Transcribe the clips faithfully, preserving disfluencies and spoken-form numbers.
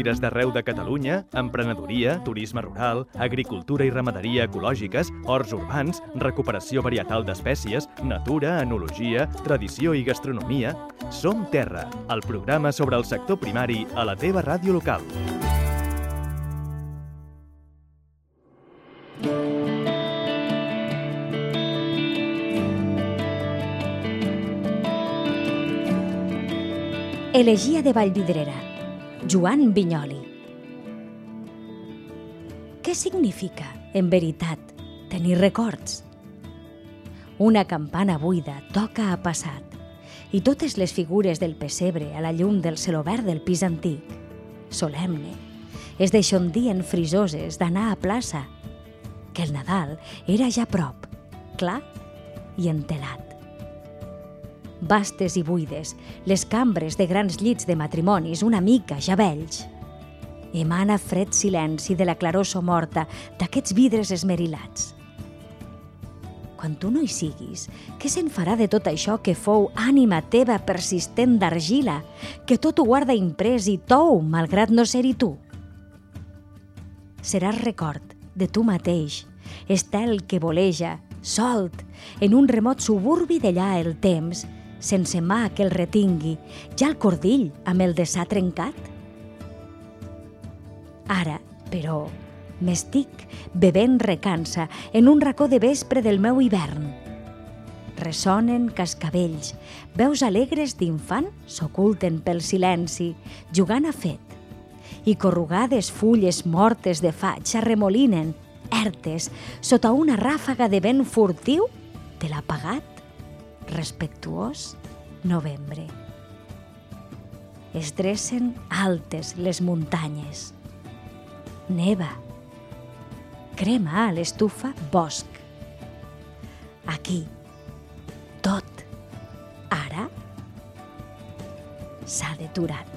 fires d'arreu de Catalunya, emprenedoria, turisme rural, agricultura i ramaderia ecològiques, horts urbans, recuperació varietal d'espècies, natura, enologia, tradició i gastronomia. Som Terra, el programa sobre el sector primari a la teva ràdio local. Elegia de Vallvidrera, Joan Vinyoli. Què significa, en veritat, tenir records? Una campana buida toca a passat i totes les figures del pessebre a la llum del celobert del pis antic, solemne, es deixondien frisoses d'anar a plaça, que el Nadal era ja a prop, clar i entelat. Vastes i buides, les cambres de grans llits de matrimonis una mica ja vells. Emana fred silenci de la claror somorta d'aquests vidres esmerilats. Quan tu no hi siguis, què se'n farà de tot això que fou ànima teva persistent d'argila, que tot ho guarda imprès i tou, malgrat no ser-hi tu? Seràs record de tu mateix, estel que voleja, solt, en un remot suburbi d'allà el temps, sense mà que el retingui, ja el cordill amb el desar trencat? Ara, però, m'estic bevent recança en un racó de vespre del meu hivern. Ressonen cascavells, veus alegres d'infant s'oculten pel silenci, jugant a fet, i corrugades fulles mortes de faig s'arremolinen, ertes, sota una ràfaga de vent furtiu de l'apagat, respectuós novembre. Es dressen altes les muntanyes. Neva. Crema a l'estufa bosc. Aquí, tot, ara, s'ha deturat.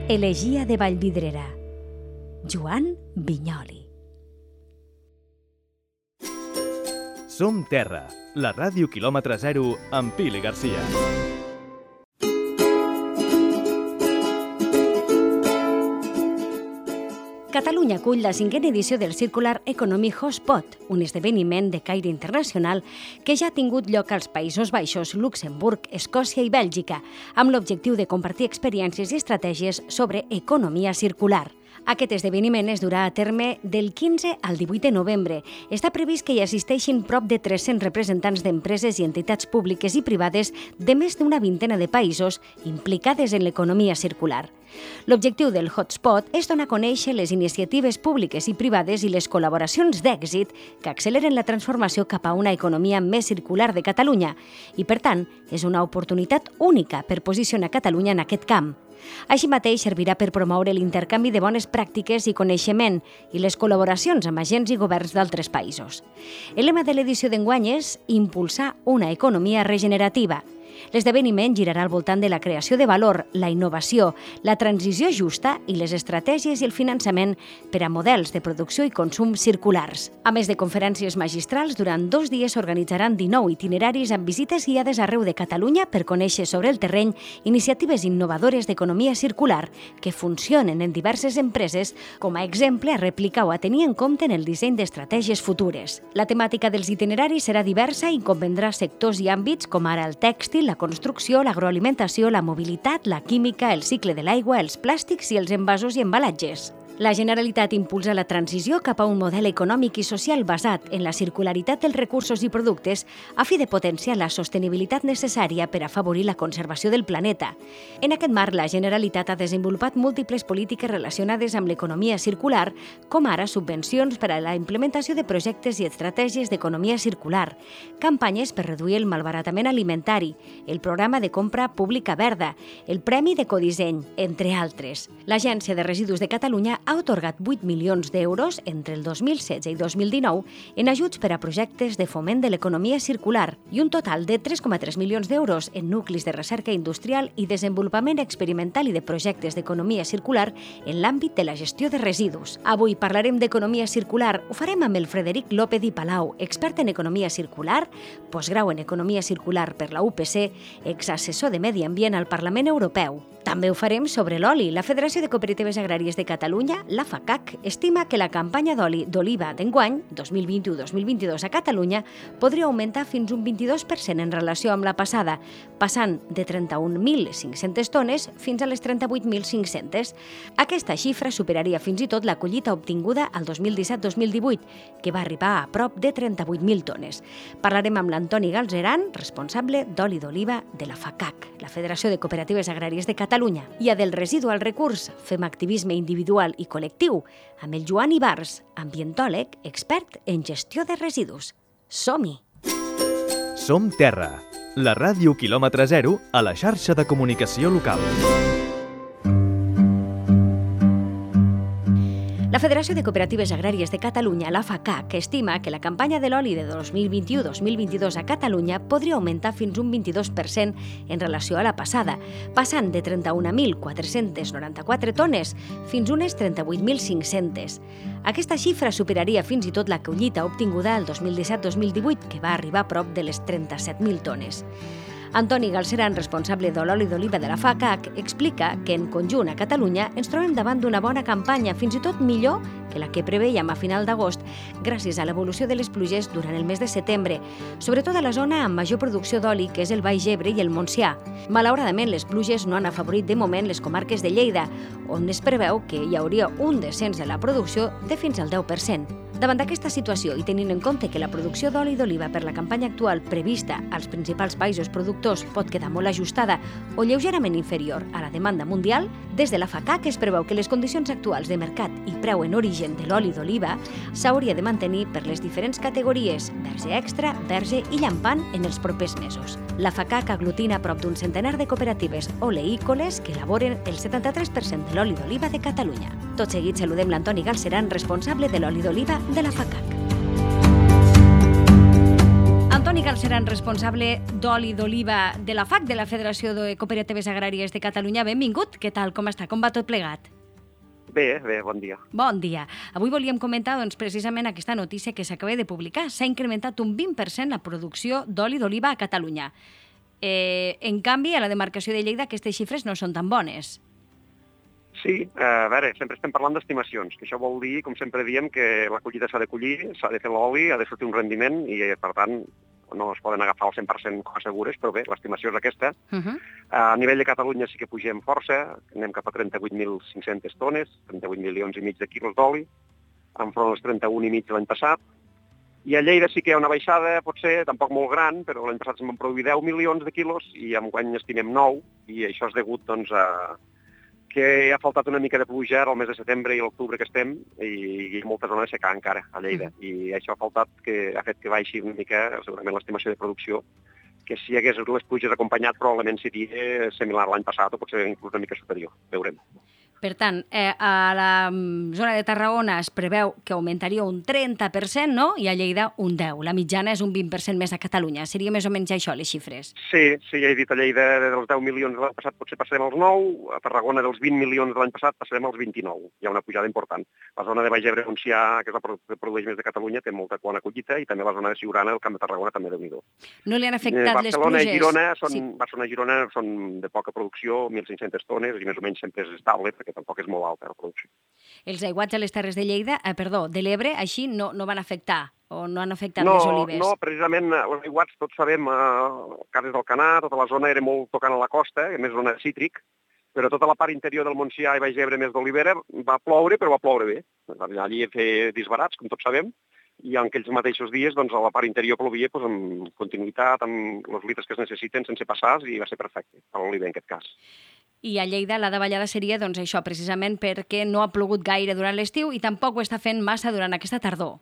Elegia de Vallvidrera, Joan Vinyoli. Som Terra, la ràdio quilòmetre zero amb Pili Garcia. Catalunya acull la cinquena edició del Circular Economy Hotspot, un esdeveniment de caire internacional que ja ha tingut lloc als Països Baixos, Luxemburg, Escòcia i Bèlgica, amb l'objectiu de compartir experiències i estratègies sobre economia circular. Aquest esdeveniment es durà a terme del quinze al divuit de novembre. Està previst que hi assisteixin prop de tres-cents representants d'empreses i entitats públiques i privades de més d'una vintena de països implicades en l'economia circular. L'objectiu del Hotspot és donar a conèixer les iniciatives públiques i privades i les col·laboracions d'èxit que acceleren la transformació cap a una economia més circular de Catalunya i, per tant, és una oportunitat única per posicionar Catalunya en aquest camp. Així mateix servirà per promoure l'intercanvi de bones pràctiques i coneixement i les col·laboracions amb agents i governs d'altres països. El lema de l'edició d'enguany és impulsar una economia regenerativa. L'esdeveniment girarà al voltant de la creació de valor, la innovació, la transició justa i les estratègies i el finançament per a models de producció i consum circulars. A més de conferències magistrals, durant dos dies s'organitzaran dinou itineraris amb visites guiades arreu de Catalunya per conèixer sobre el terreny iniciatives innovadores d'economia circular que funcionen en diverses empreses com a exemple a replicar o a tenir en compte en el disseny d'estratègies futures. La temàtica dels itineraris serà diversa i comprendrà sectors i àmbits com ara el tèxtil, la construcció, l'agroalimentació, la mobilitat, la química, el cicle de l'aigua, els plàstics i els envasos i embalatges. La Generalitat impulsa la transició cap a un model econòmic i social basat en la circularitat dels recursos i productes a fi de potenciar la sostenibilitat necessària per afavorir la conservació del planeta. En aquest marc, la Generalitat ha desenvolupat múltiples polítiques relacionades amb l'economia circular, com ara subvencions per a la implementació de projectes i estratègies d'economia circular, campanyes per reduir el malbaratament alimentari, el programa de compra pública verda, el Premi d'Ecodisseny, entre altres. L'Agència de Residus de Catalunya ha atorgat vuit milions d'euros entre el dos mil setze i dos mil dinou en ajuts per a projectes de foment de l'economia circular i un total de tres coma tres milions d'euros en nuclis de recerca industrial i desenvolupament experimental i de projectes d'economia circular en l'àmbit de la gestió de residus. Avui parlarem d'economia circular. Ho farem amb el Frederic López i Palau, expert en economia circular, postgrau en economia circular per la U P C, exassessor de Medi Ambient al Parlament Europeu. També ho farem sobre l'oli. La Federació de Cooperatives Agràries de Catalunya, la FACAC, estima que la campanya d'oli d'oliva d'enguany, dos mil vint-i-u dos mil vint-i-dos a Catalunya, podria augmentar fins un vint-i-dos per cent en relació amb la passada, passant de trenta-un mil cinc-centes tones fins a les trenta-vuit mil cinc-centes. Aquesta xifra superaria fins i tot la collita obtinguda al dos mil disset dos mil divuit, que va arribar a prop de trenta-vuit mil tones. Parlarem amb l'Antoni Galzeran, responsable d'oli d'oliva de la FACAC, la Federació de Cooperatives Agràries de Catalunya. Catalunya. I a del residu al recurs fem activisme individual i col·lectiu amb el Joan Ibars, ambientòleg, expert en gestió de residus. Som-hi! Som Terra, la ràdio quilòmetre zero a la xarxa de comunicació local. La Federació de Cooperatives Agràries de Catalunya, la FACAC, estima que la campanya de l'oli de dos mil vint-i-u dos mil vint-i-dos a Catalunya podria augmentar fins un vint-i-dos per cent en relació a la passada, passant de trenta-un mil quatre-cents noranta-quatre tones fins unes trenta-vuit mil cinc-centes. Aquesta xifra superaria fins i tot la collita obtinguda el dos mil disset dos mil divuit, que va arribar a prop de les trenta-set mil tones. Antoni Galzeran, responsable de l'oli d'oliva de la FACAC, explica que en conjunt a Catalunya ens trobem davant d'una bona campanya, fins i tot millor que la que preveiem a final d'agost, gràcies a l'evolució de les pluges durant el mes de setembre, sobretot a la zona amb major producció d'oli, que és el Baix Ebre i el Montsià. Malauradament, les pluges no han afavorit de moment les comarques de Lleida, on es preveu que hi hauria un descens de la producció de fins al deu per cent. Davant d'aquesta situació i tenint en compte que la producció d'oli d'oliva per la campanya actual prevista als principals països productors pot quedar molt ajustada o lleugerament inferior a la demanda mundial, des de la FACAC es preveu que les condicions actuals de mercat i preu en origen de l'oli d'oliva s'hauria de mantenir per les diferents categories verge extra, verge i llampant en els propers mesos. La FACAC aglutina prop d'un centenar de cooperatives oleícoles que elaboren el setanta-tres per cent de l'oli d'oliva de Catalunya. Tot seguit saludem l'Antoni Galzeran, responsable de l'oli d'oliva de la FACAC. Antoni Galzeran, responsable d'oli d'oliva de la FAC, de la Federació de Cooperatives Agràries de Catalunya. Benvingut. Què tal? Com està? Com va tot plegat? Bé, bé, bon dia. Bon dia. Avui volíem comentar doncs, precisament aquesta notícia que s'acaba de publicar. S'ha incrementat un vint per cent la producció d'oli d'oliva a Catalunya. Eh, en canvi, a la demarcació de Lleida aquestes xifres no són tan bones. Sí, a veure, sempre estem parlant d'estimacions, que això vol dir, com sempre diem, que la collita s'ha de collir, s'ha de fer l'oli, ha de sortir un rendiment i, per tant, no es poden agafar al cent per cent com a segures, però bé, l'estimació és aquesta. Uh -huh. A nivell de Catalunya sí que pugem força, anem cap a trenta-vuit mil cinc-centes tones, trenta-vuit milions i mig de quilos d'oli, enfront als trenta-un i mig de l'any passat. I a Lleida sí que hi ha una baixada, potser, tampoc molt gran, però l'any passat se'n van produir deu milions de quilos i enguany estimem nou, i això és degut, doncs, a que ha faltat una mica de pluja al mes de setembre i l'octubre que estem i, i molta zona de secar encara a Lleida. Mm. I això ha faltat que ha fet que baixi una mica segurament l'estimació de producció, que si hi hagués les pluges acompanyat probablement seria similar a l'any passat o potser inclús una mica superior. Veurem. Per tant, eh, a la zona de Tarragona es preveu que augmentaria un trenta per cent, no? I a Lleida un deu per cent. La mitjana és un vint per cent més a Catalunya. Seria més o menys això, les xifres? Sí, sí, ja he dit, a Lleida dels deu milions de l'any passat potser passarem als nou, a Tarragona dels vint milions de l'any passat passarem als vint-i-nou. Hi ha una pujada important. La zona de Baix Ebre, Montsià, que és la que produeix més de Catalunya, té molta bona collita i també la zona de Siurana, el Camp de Tarragona, també déu-n'hi-do. No li han afectat eh, les Barcelona pluges? I Girona són, sí. Barcelona i Girona són de poca producció, mil cinc-centes tones, i més o menys sempre és estable, perquè tampoc és molt alta la producció. Els aiguats a les Terres de Lleida, eh, perdó, de l'Ebre, així no, no van afectar o no han afectat no, les olives? No, precisament els aiguats, tots sabem, eh, Cases del Canà, tota la zona era molt tocant a la costa, més zona cítric, però tota la part interior del Montsià i Baix Ebre més d'Olivera va ploure, però va ploure bé. Allí fer disbarats, com tots sabem, i en aquells mateixos dies doncs, a la part interior plovia doncs, amb continuïtat, amb els litres que es necessiten, sense passars, i va ser perfecte, a l'oliver en aquest cas. I a Lleida la davallada seria doncs, això, precisament perquè no ha plogut gaire durant l'estiu i tampoc ho està fent massa durant aquesta tardor.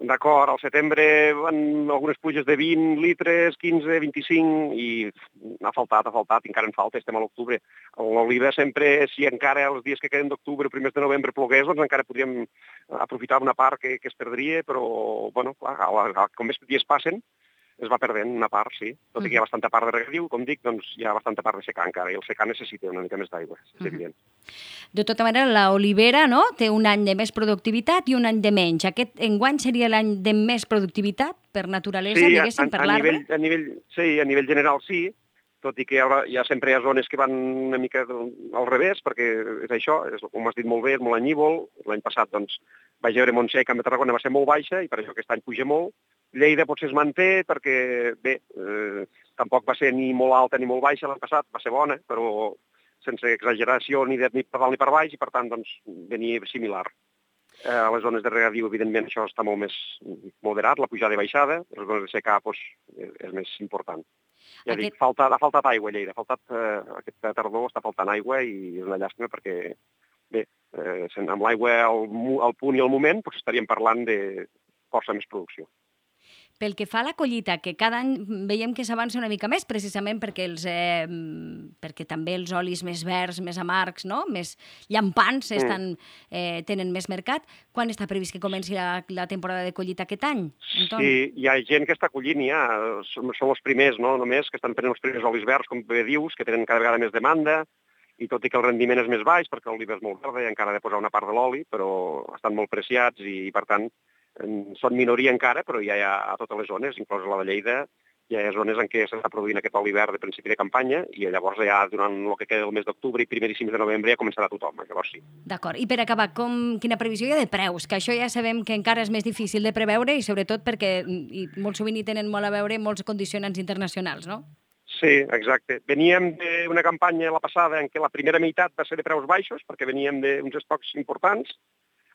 D'acord, al setembre van algunes pluges de vint litres, quinze, vint-i-cinc, i ha faltat, ha faltat, encara en falta, estem a l'octubre. L'oliva sempre, si encara els dies que queden d'octubre, primers de novembre plogués, doncs encara podríem aprofitar una part que, que es perdria, però, bueno, clar, com més dies passen, es va perdent una part, sí. Tot i que hi ha bastanta part de regadiu, com dic, doncs hi ha bastanta part de secà encara, i el secà necessita una mica més d'aigua, és evident. De tota manera, l'olivera, no?, té un any de més productivitat i un any de menys. Aquest enguany seria l'any de més productivitat, per naturalesa, sí, diguéssim, per l'arbre? A nivell, sí, a nivell general sí, tot i que hi ha, hi ha sempre hi ha zones que van una mica al revés, perquè és això, és, com has dit molt bé, és molt anyívol. L'any passat, doncs, vaig veure Montsec, Camp de Tarragona va ser molt baixa, i per això aquest any puja molt. Lleida potser es manté perquè, bé, eh, tampoc va ser ni molt alta ni molt baixa l'any passat, va ser bona, però sense exageració ni, de, ni per dalt ni per baix, i per tant, doncs, venia similar. Eh, a les zones de regadiu, evidentment, això està molt més moderat, la pujada i baixada, les zones de secà, doncs, és més important. Ja Aquest... dic, falta, ha faltat aigua a Lleida, ha faltat, eh, aquesta tardor està faltant aigua, i és una llàstima perquè, bé, eh, amb l'aigua al, al punt i al moment, doncs estaríem parlant de força més producció. Pel que fa a la collita, que cada any veiem que s'avança una mica més, precisament perquè, els, eh, perquè també els olis més verds, més amargs, no?, més llampants, estan, eh, tenen més mercat. Quan està previst que comenci la, la temporada de collita aquest any, Antoni? Sí, hi ha gent que està collint ja, són, són els primers, no?, només, que estan prenent els primers olis verds, com bé dius, que tenen cada vegada més demanda, i tot i que el rendiment és més baix, perquè l'oliva és molt verda i encara ha de posar una part de l'oli, però estan molt preciats i, per tant, són minoria encara, però ja hi ha a totes les zones, inclosa la de Lleida, hi ha zones en què s'està produint aquest oli verd de principi de campanya, i llavors ja durant el que queda del mes d'octubre i primeríssims de novembre ja començarà tothom, llavors sí. D'acord, i per acabar, com, quina previsió hi ha de preus? Que això ja sabem que encara és més difícil de preveure, i sobretot perquè i molt sovint hi tenen molt a veure molts condicionants internacionals, no? Sí, exacte. Veníem d'una campanya la passada en què la primera meitat va ser de preus baixos, perquè veníem d'uns estocs importants,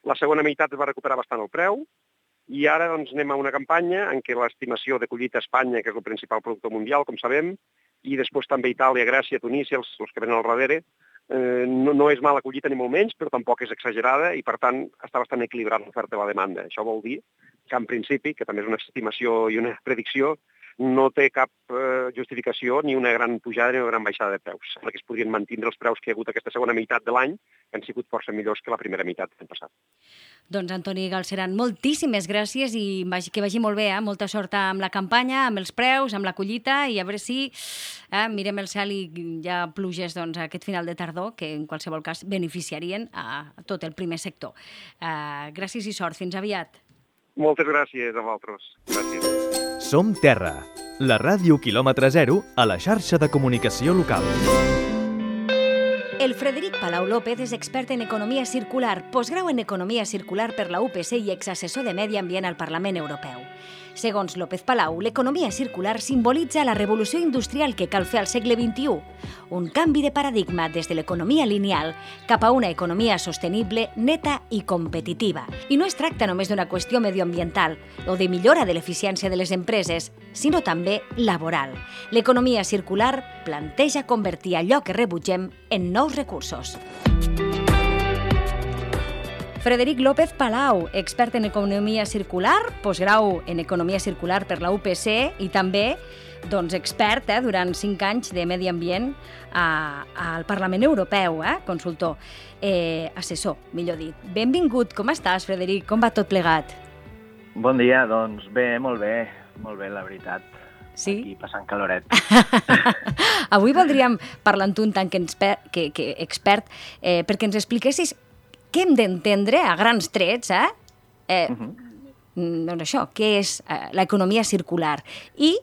la segona meitat es va recuperar bastant el preu, i ara doncs, anem a una campanya en què l'estimació de collita a Espanya, que és el principal productor mundial, com sabem, i després també Itàlia, Grècia, Tunísia, els, els que venen al darrere, eh, no, no és mala collita ni molt menys, però tampoc és exagerada, i per tant està bastant equilibrat l'oferta i la demanda. Això vol dir que en principi, que també és una estimació i una predicció, no té cap eh, justificació ni una gran pujada ni una gran baixada de preus. Sembla que es podrien mantenir els preus que hi ha hagut aquesta segona meitat de l'any, que han sigut força millors que la primera meitat de l'any passat. Doncs, Antoni Galceran, moltíssimes gràcies i que vagi molt bé, eh? Molta sort amb la campanya, amb els preus, amb la collita, i a veure si eh, mirem el cel i hi ha pluges doncs, aquest final de tardor, que en qualsevol cas beneficiarien a tot el primer sector. Uh, gràcies i sort. Fins aviat. Moltes gràcies a vosaltres. Gràcies. Som Terra, la ràdio quilòmetre zero a la xarxa de comunicació local. El Frederic Palau López és expert en economia circular, postgrau en economia circular per la U P C i exassessor de medi ambient al Parlament Europeu. Segons López Palau, l'economia circular simbolitza la revolució industrial que cal fer al segle vint-i-u, un canvi de paradigma des de l'economia lineal cap a una economia sostenible, neta i competitiva. I no es tracta només d'una qüestió medioambiental o de millora de l'eficiència de les empreses, sinó també laboral. L'economia circular planteja convertir allò que rebutgem en nous recursos. Frederic López Palau, expert en economia circular, postgrau en economia circular per la U P C i també doncs, expert eh, durant cinc anys de medi ambient a, al Parlament Europeu, eh, consultor, eh, assessor, millor dit. Benvingut, com estàs, Frederic? Com va tot plegat? Bon dia, doncs bé, molt bé, molt bé, la veritat. Sí? Aquí passant caloret. Avui voldríem parlar amb tu un tant que, que, que expert eh, perquè ens expliquessis què hem d'entendre a grans trets, eh? eh uh-huh. Doncs això, què és eh, l'economia circular i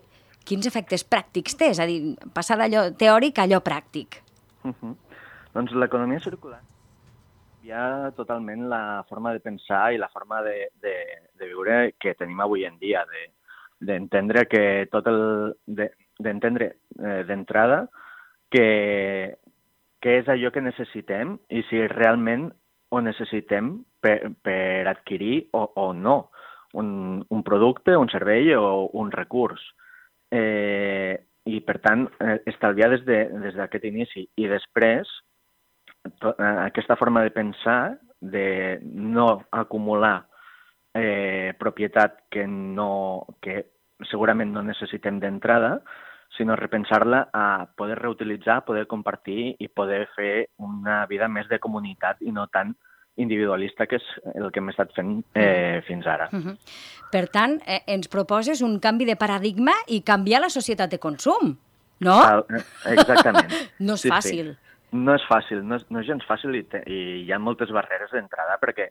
quins efectes pràctics té, és a dir, passar d'allò teòric a allò pràctic. Uh-huh. Doncs l'economia circular hi ha totalment la forma de pensar i la forma de, de, de viure que tenim avui en dia, de, d'entendre que tot el... De, d'entendre eh, d'entrada que, que és allò que necessitem i si realment ho necessitem per, per adquirir o, o no un, un producte, un servei o un recurs. Eh, I, per tant, eh, estalviar des de, des d'aquest inici. I després, to, eh, aquesta forma de pensar, de no acumular eh, propietat que, no, que segurament no necessitem d'entrada, sinó repensar-la a poder reutilitzar, poder compartir i poder fer una vida més de comunitat i no tan individualista, que és el que hem estat fent eh, fins ara. Uh-huh. Per tant, eh, ens proposes un canvi de paradigma i canviar la societat de consum, no? Cal, exactament. No és sí, fàcil. Sí. No és fàcil, no és, no és gens fàcil i, te, i hi ha moltes barreres d'entrada perquè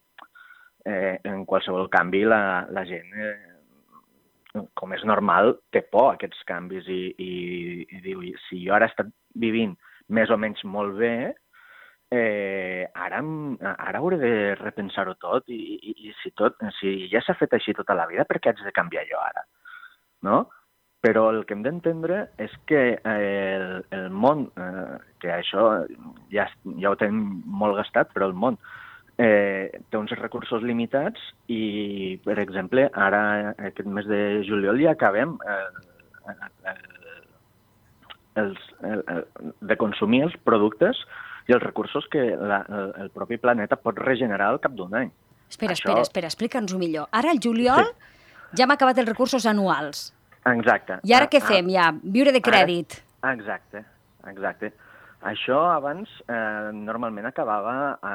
eh, en qualsevol canvi la, la gent, eh, com és normal, té por a aquests canvis i, i, i diu, si jo ara he estat vivint més o menys molt bé, Eh, ara, ara hauré de repensar-ho tot i, i, i si, tot, si ja s'ha fet així tota la vida, per què haig de canviar jo ara? No? Però el que hem d'entendre és que eh, el, el món, eh, que això ja, ja ho tenim molt gastat, però el món eh, té uns recursos limitats i, per exemple, ara aquest mes de juliol ja acabem eh, eh, els, el, el, de consumir els productes i els recursos que la, el, el propi planeta pot regenerar al cap d'un any. Espera, Això... espera, espera, explica'ns-ho millor. Ara, al juliol, sí. ja hem acabat els recursos anuals. Exacte. I ara ah, què fem, ja? Viure de crèdit. Ara... Exacte, exacte. Això abans eh, normalment acabava a,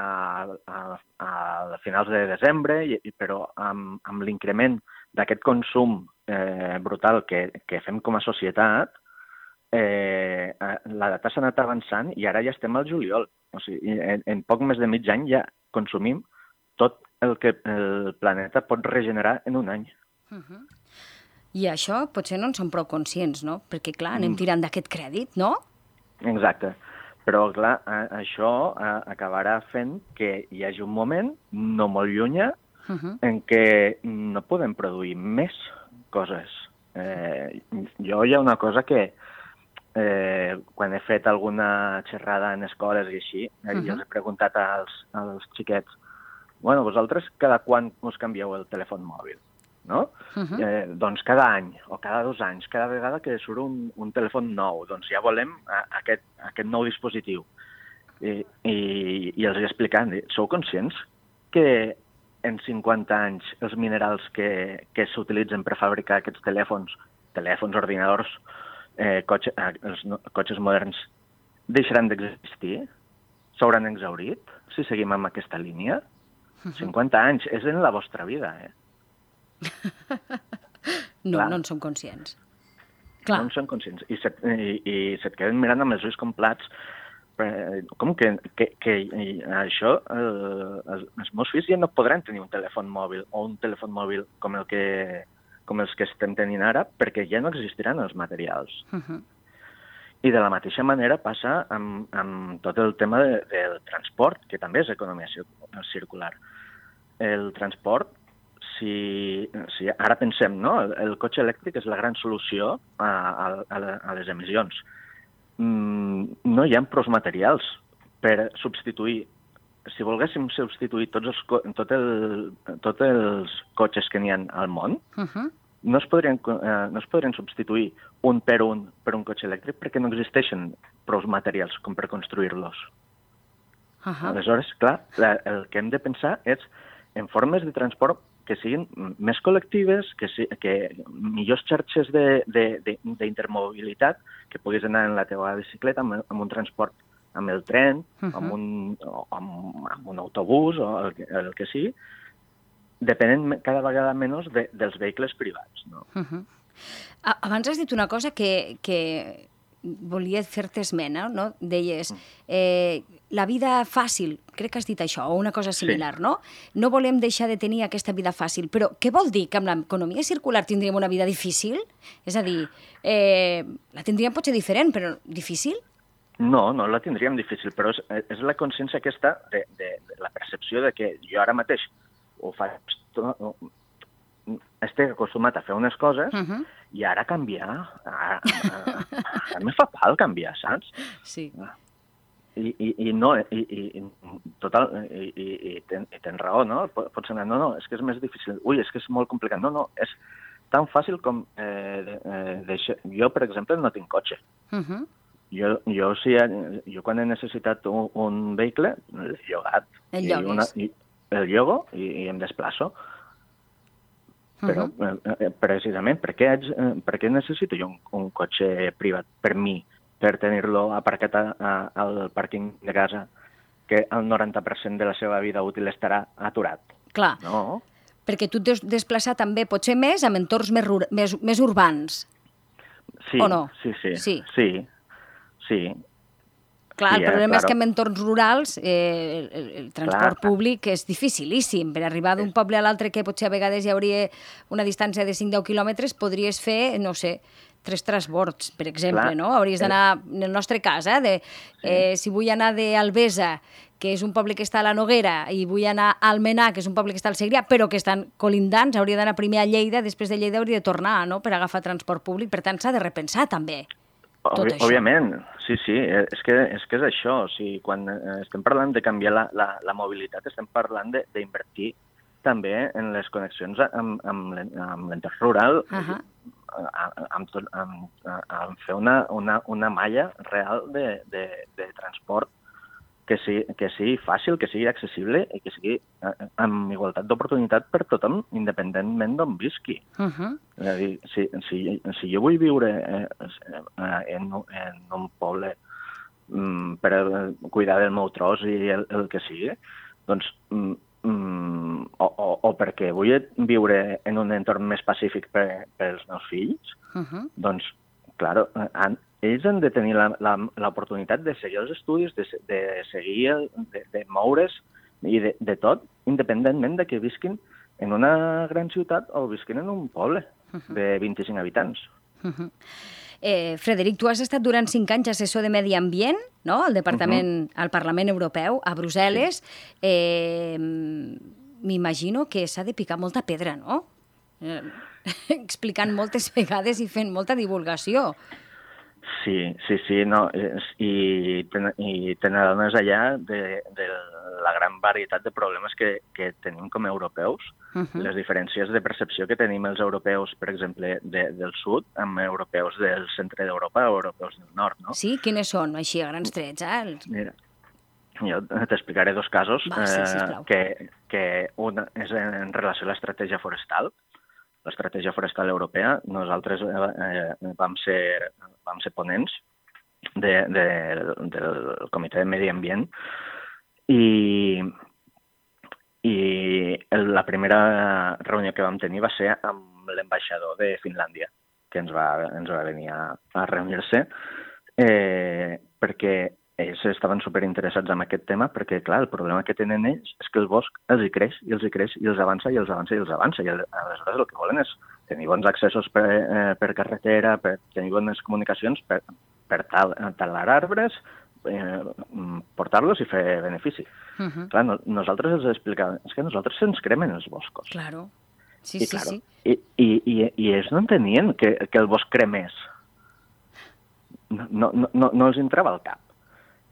a, a finals de desembre, i, però amb, amb l'increment d'aquest consum eh, brutal que, que fem com a societat, Eh, la data s'ha anat avançant i ara ja estem al juliol. O sigui, en, en poc més de mig any ja consumim tot el que el planeta pot regenerar en un any. Uh-huh. I això potser no en som prou conscients, no? Perquè, clar, anem tirant d'aquest crèdit, no? Exacte. Però, clar, això acabarà fent que hi hagi un moment, no molt llunyà, uh-huh. en què no podem produir més coses. Eh, jo hi ha una cosa que Eh, quan he fet alguna xerrada en escoles i així, eh, uh-huh. jo els he preguntat als, als xiquets, bueno, vosaltres cada quan us canvieu el telèfon mòbil, no? Uh-huh. Eh, doncs cada any, o cada dos anys, cada vegada que surt un, un telèfon nou, doncs ja volem a, a aquest, a aquest nou dispositiu. I, i, i els he explicat, sou conscients que en cinquanta anys els minerals que, que s'utilitzen per fabricar aquests telèfons, telèfons, ordinadors, Eh, cotxe, eh, els no, cotxes moderns deixaran d'existir? S'hauran exhaurit si seguim amb aquesta línia? Uh-huh. cinquanta anys, és en la vostra vida, eh? no, Clar. no en som conscients. Clar. No en som conscients. I se't, i, i se't queden mirant amb els ulls com plats. Eh, com que, que, que això, eh, els, els meus fills ja no podran tenir un telèfon mòbil o un telèfon mòbil com el que... com els que estem tenint ara, perquè ja no existiran els materials. Uh-huh. I de la mateixa manera passa amb, amb tot el tema de, del transport, que també és economia circular. El transport, si, si ara pensem, no? El, el cotxe elèctric és la gran solució a, a, a les emissions. Mm, no hi ha prou materials per substituir. Si volguéssim substituir tots els, tot el, tots els cotxes que n'hi ha al món, uh-huh. no, es podrien, eh, no es podrien substituir un per un per un cotxe elèctric perquè no existeixen prou materials com per construir-los. Uh-huh. Aleshores, clar, la, el que hem de pensar és en formes de transport que siguin més col·lectives, que, si, que millors xarxes d'intermobilitat, que puguis anar en la teva bicicleta amb, amb un transport amb el tren, uh-huh. amb, un, amb, amb un autobús o el, el que sigui, depenent cada vegada menys de, dels vehicles privats. No? Uh-huh. Abans has dit una cosa que, que volia fer-te esmena, no? Deies, eh, la vida fàcil, crec que has dit això, o una cosa similar, sí. no? No volem deixar de tenir aquesta vida fàcil, però què vol dir? Que amb l'economia circular tindríem una vida difícil? És a dir, eh, la tindríem potser diferent, però difícil? No, no la tindríem difícil, però és, és la consciència aquesta de, de, de la percepció de que jo ara mateix ho faig, estic acostumat a fer unes coses uh-huh. i ara canviar, ara, ara, ara me fa pal canviar, saps? Sí. I, i, i no, i, i, total, i, i, i, ten, i tens raó, no? Pots anar, no, no, és que és més difícil, ui, és que és molt complicat, no, no, és tan fàcil com, eh, de, eh, deixar... jo, per exemple, no tinc cotxe. Uh-huh. Jo, jo, si, jo quan he necessitat un, un vehicle, el llogat. El llogues. I, una, i el llogo i, i em desplaço. Però uh-huh. precisament, per què, haig, per què necessito jo un, un cotxe privat per mi, per tenir-lo aparcat a, a, al pàrquing de casa, que el noranta per cent de la seva vida útil estarà aturat? Clar, no? Perquè tu et deus desplaçar també potser més amb entorns més, més, més urbans, sí, o no? Sí, sí, sí. sí, sí. Clar, sí, el problema eh, és que en entorns rurals eh, el, el transport clar. públic és dificilíssim. Per arribar d'un poble a l'altre, que potser a vegades hi hauria una distància de cinc a deu quilòmetres, podries fer, no sé, tres transbords, per exemple, clar. no? Hauries d'anar, en el nostre cas, eh, de, eh, sí. si vull anar d'Albesa, que és un poble que està a la Noguera, i vull anar a Almenar, que és un poble que està al Segrià, però que estan colindants, hauria d'anar primer a Lleida, després de Lleida hauria de tornar, no?, per agafar transport públic. Per tant, s'ha de repensar, també, tot Òbvi, això. Òbviament, sí, sí, és que és, que és això. O sigui, quan estem parlant de canviar la, la, la mobilitat, estem parlant d'invertir també en les connexions amb, amb l'entorn rural, uh-huh. amb, amb, amb, amb fer una, una, una malla real de, de, de transport que sigui, que sigui fàcil, que sigui accessible i que sigui amb igualtat d'oportunitat per tothom, independentment d'on visqui. Uh-huh. És a dir, si, si, si jo vull viure en, en un poble per cuidar del meu tros i el, el que sigui, doncs, o, o, o perquè vull viure en un entorn més pacífic per, pels meus fills, uh-huh. doncs, clar, han, ells han de tenir l'oportunitat de seguir els estudis, de, de seguir, el, de, de moure's i de, de tot, independentment de que visquin en una gran ciutat o visquin en un poble uh-huh. de vint-i-cinc habitants. Uh-huh. Eh, Frederic, tu has estat durant cinc anys assessor de Medi Ambient, no?, al Departament, uh-huh. al Parlament Europeu, a Brussel·les. Sí. Eh, m'imagino que s'ha de picar molta pedra, no? Eh, explicant moltes vegades i fent molta divulgació. Sí, sí, sí, no, i, ten, i te n'adones allà de, de la gran varietat de problemes que, que tenim com a europeus, uh-huh. les diferències de percepció que tenim els europeus, per exemple, de, del sud, amb europeus del centre d'Europa o europeus del nord, no? Sí, quines són, així, a grans trets, eh? Els... Mira, jo t'explicaré dos casos, Va, sí, sisplau. eh, que, que un és en relació a l'estratègia forestal. L'estratègia forestal europea, nosaltres eh, vam, ser, vam ser ponents de, de, del Comitè de Medi Ambient i, i la primera reunió que vam tenir va ser amb l'ambaixador de Finlàndia, que ens va, ens va venir a, a reunir-se eh, perquè ells estaven superinteressats en aquest tema perquè, clar, el problema que tenen ells és que el bosc els hi creix, i els hi creix, i els avança, i els avança, i els avança. I aleshores el que volen és tenir bons accessos per, eh, per carretera, per tenir bones comunicacions, per, per tal, talar arbres, eh, portar-los i fer benefici. Uh-huh. Clar, no, nosaltres els explicàvem, és que nosaltres se'ns cremen els boscos. Claro, sí, I, sí, claro, sí. I, i, i, i ells no entenien que, que el bosc cremés. No, no, no, no els entrava al cap.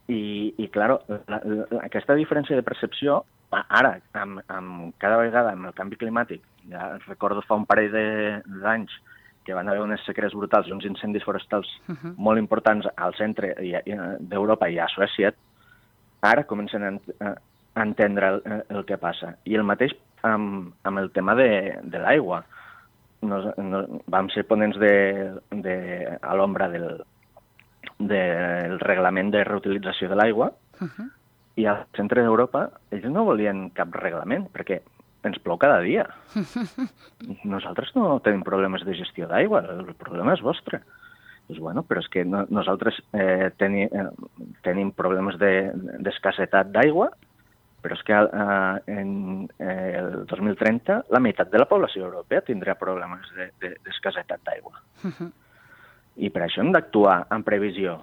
I, i clar, la, la, aquesta diferència de percepció, ara, amb, amb cada vegada amb el canvi climàtic, ja recordo fa un parell d'anys que van haver unes sequeres brutals i uns incendis forestals uh-huh. molt importants al centre d'Europa i a Suècia, ara comencen a, a entendre el, el que passa. I el mateix amb, amb el tema de, de l'aigua. Nos, nos, vam ser ponents de, de, a l'ombra del del reglament de reutilització de l'aigua, uh-huh. i al centre d'Europa ells no volien cap reglament, perquè ens plou cada dia. Uh-huh. Nosaltres no tenim problemes de gestió d'aigua, el problema és vostre. Pues bueno, però és que no, nosaltres eh, teni, eh, tenim problemes d'escassetat de, d'aigua, però és que eh, en eh, el dos mil trenta la meitat de la població europea tindrà problemes d'escassetat de, d'aigua. Uh-huh. I per això hem d'actuar en previsió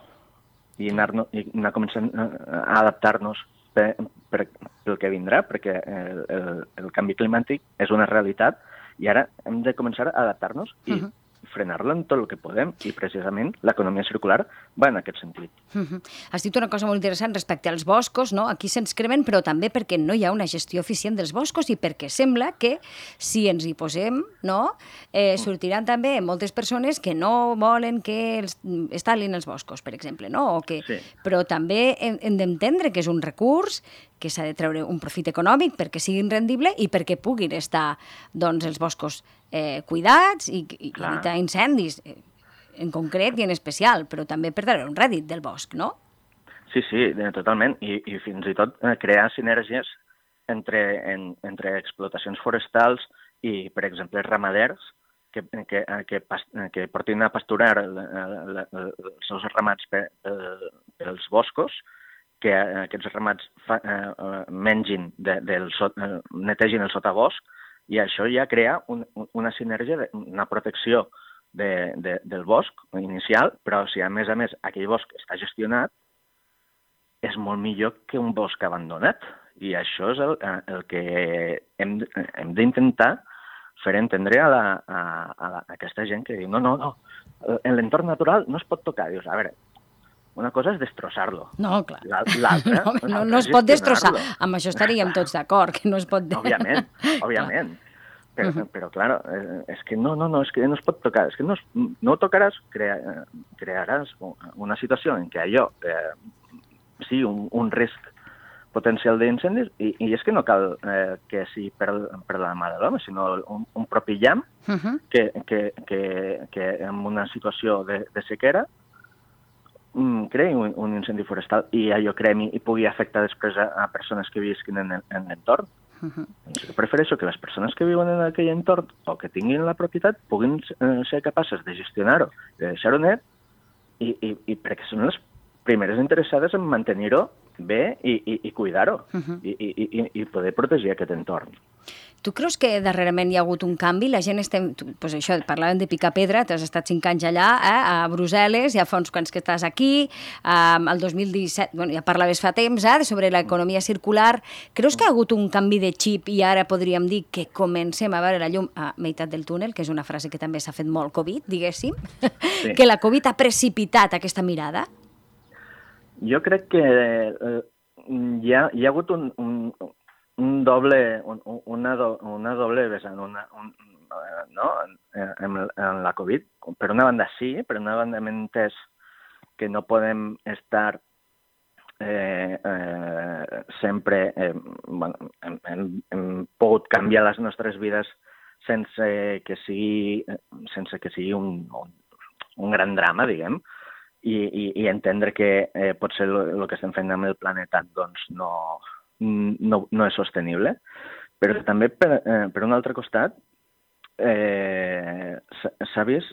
i anar, i anar començant a adaptar-nos per, per, pel que vindrà, perquè el, el, el canvi climàtic és una realitat i ara hem de començar a adaptar-nos i uh-huh. frenar-lo en tot el que podem, i precisament l'economia circular va en aquest sentit. Uh-huh. Has dit una cosa molt interessant respecte als boscos, no? Aquí se'ns cremen, però també perquè no hi ha una gestió eficient dels boscos i perquè sembla que si ens hi posem, no, eh, sortiran també moltes persones que no volen que els, es talin els boscos, per exemple, no? O que, sí. Però també hem, hem d'entendre que és un recurs que s'ha de treure un profit econòmic perquè siguin rendibles i perquè puguin estar doncs, els boscos eh, cuidats i, i evitar incendis, en concret i en especial, però també per treure un rèdit del bosc, no? Sí, sí, totalment. I, i fins i tot crear sinergies entre, en, entre explotacions forestals i, per exemple, ramaders que, que, que, que portin a pasturar els seus ramats per, pels boscos, que aquests ramats fa, eh, mengin, de, del sot, eh, netegin el sotabosc, i això ja crea un, una sinergia, una protecció de, de, del bosc inicial, però si a més a més aquell bosc està gestionat, és molt millor que un bosc abandonat. I això és el, el que hem, hem d'intentar fer entendre a, la, a, a, la, a aquesta gent que diu no, no, no, en l'entorn natural no es pot tocar. Dius, a veure, una cosa és destrossar-lo. No, clar. L'altra no, no, no es pot destrossar. Amb això estaríem tots d'acord, que no es pot... Òbviament, òbviament. Però, uh -huh. però clar, és que no, no, no, és que no es pot tocar. És que no, no tocaràs, crea, crearàs una situació en què allò... Eh, sí, un, un risc potencial d'incendis, i, i és que no cal eh, que sigui per, per la mà de l'home, sinó un, un propi llamp uh -huh. que, que, que, que en una situació de, de sequera mm, creï un, un incendi forestal i allò cremi i pugui afectar després a, a persones que visquin en, en l'entorn. Uh -huh. Doncs jo prefereixo que les persones que viuen en aquell entorn o que tinguin la propietat puguin eh, ser capaces de gestionar-ho, de deixar-ho net, i, i, i perquè són les primeres interessades en mantenir-ho bé i, i, i cuidar-ho uh-huh. i, i, i poder protegir aquest entorn. Tu creus que darrerament hi ha hagut un canvi? La gent estem... Pues això, parlàvem de picar pedra, t'has estat cinc anys allà, eh, a Brussel·les, ja fa uns quants que estàs aquí, eh, el dos mil disset, bueno, ja parlaves fa temps, eh, sobre l'economia circular. Creus que hi ha hagut un canvi de xip i ara podríem dir que comencem a veure la llum a meitat del túnel, que és una frase que també s'ha fet molt Covid, diguéssim, sí. Que la Covid ha precipitat aquesta mirada? Jo crec que eh, hi, ha, hi ha hagut un, un, un doble, un, una, do, una doble vessant, una, un, no? en, en la Covid. Per una banda sí, per una banda hem entès que no podem estar eh, eh, sempre... Eh, bueno, hem, hem, hem pogut canviar les nostres vides sense que sigui, sense que sigui un, un, un gran drama, diguem, I, i, i entendre que eh, potser el que estem fent amb el planeta doncs no, no, no és sostenible. Però també, per, eh, per un altre costat, eh, s'ha vist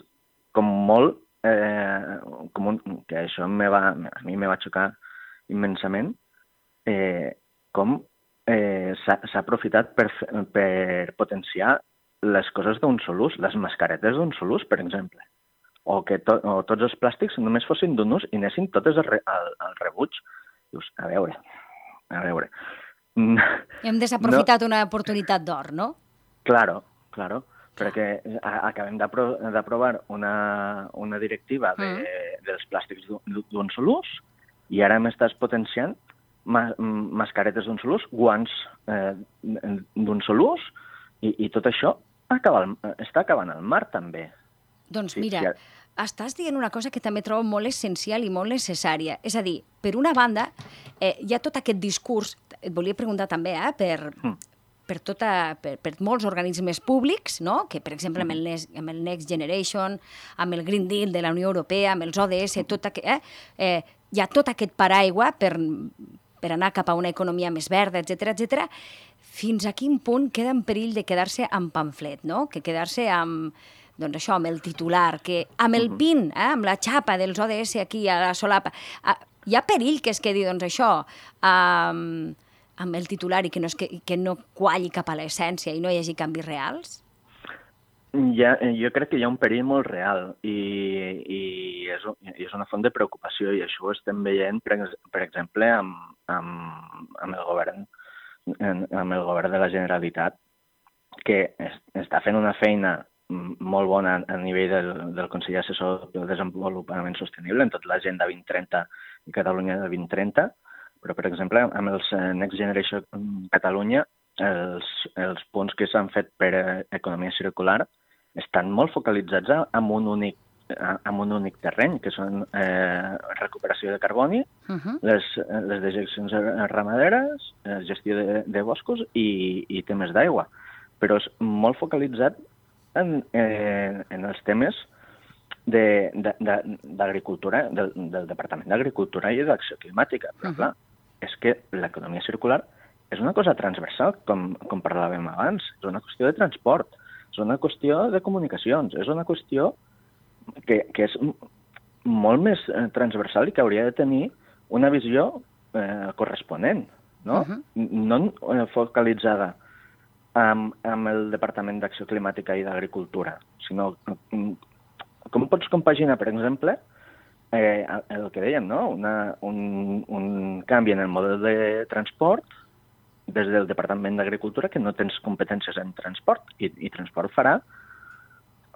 com molt, eh, com un, que això me va, a mi me va xocar immensament, eh, com eh, s'ha aprofitat per, per potenciar les coses d'un sol ús, les mascaretes d'un sol ús, per exemple. O que to, o tots els plàstics només fossin d'un ús i anessin totes al, al, al rebuig. Dius, a veure, a veure... Hem desaprofitat no. una oportunitat d'or, no? Claro, claro, perquè acabem d'aprovar una, una directiva de, mm. dels plàstics d'un sol ús i ara m'estàs potenciant ma, mascaretes d'un sol ús, guants eh, d'un sol ús i, i tot això acaba, està acabant al mar també. Doncs mira, sí, sí. Estàs dient una cosa que també trobo molt essencial i molt necessària. És a dir, per una banda, eh, hi ha tot aquest discurs, et volia preguntar també, eh, per, mm. per, tota, per, per molts organismes públics, no? Que, per exemple, amb el, Next, amb el Next Generation, amb el Green Deal de la Unió Europea, amb els O D S, tot aquest, eh, eh, hi ha tot aquest paraigua per, per anar cap a una economia més verda, etcètera, etcètera. Fins a quin punt queda en perill de quedar-se amb pamflet, no? Que quedar-se amb... doncs això, amb el titular, que amb el pin, eh, amb la xapa dels O D S aquí a la solapa, eh, hi ha perill que es quedi, doncs això, eh, amb el titular i que no, es, que, que no qualli cap a l'essència i no hi hagi canvis reals? Ja, jo crec que hi ha un perill molt real i, i, és, i és una font de preocupació i això ho estem veient, per, per exemple, amb, amb, amb, el govern, amb el govern de la Generalitat, que es, està fent una feina molt bona a nivell del, del Consell Assessor del Desenvolupament Sostenible en tot l'Agenda vint trenta i Catalunya vint trenta, però, per exemple, amb els Next Generation Catalunya, els, els punts que s'han fet per economia circular estan molt focalitzats en un únic amb un únic terreny, que són eh, recuperació de carboni, uh-huh. les, les dejeccions ramaderes, gestió de, de boscos i, i temes d'aigua. Però és molt focalitzat en, eh, en els temes d'agricultura, de, de, del, del Departament d'Agricultura i d'Acció Climàtica. Però, uh-huh. clar, és que l'economia circular és una cosa transversal, com, com parlàvem abans. És una qüestió de transport, és una qüestió de comunicacions, és una qüestió que, que és molt més transversal i que hauria de tenir una visió eh, corresponent, no? Uh-huh. No eh, focalitzada amb, amb el Departament d'Acció Climàtica i d'Agricultura, sinó com pots compaginar, per exemple, eh, el que dèiem, no? Una, un, un canvi en el model de transport des del Departament d'Agricultura, que no tens competències en transport, i, i transport farà,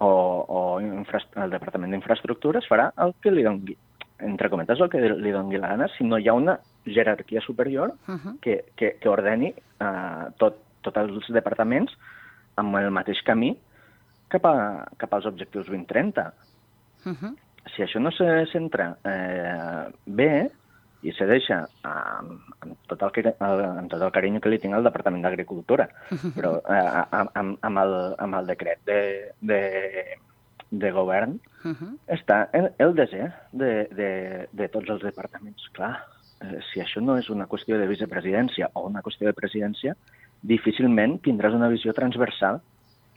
o, o infra, el Departament d'Infraestructures farà el que li doni, entre cometes, el que li doni la gana, si no hi ha una jerarquia superior uh-huh. que, que, que ordeni uh, tot, tots els departaments amb el mateix camí cap, a, cap als objectius vint trenta. Uh-huh. Si això no se centra eh, bé, i se deixa amb, amb, tot el, amb tot el carinyo que li tinc al Departament d'Agricultura, però eh, amb, amb, el, amb el decret de, de, de govern uh-huh. està el, el desè de, de, de tots els departaments. Clar, eh, si això no és una qüestió de vicepresidència o una qüestió de presidència, difícilment tindràs una visió transversal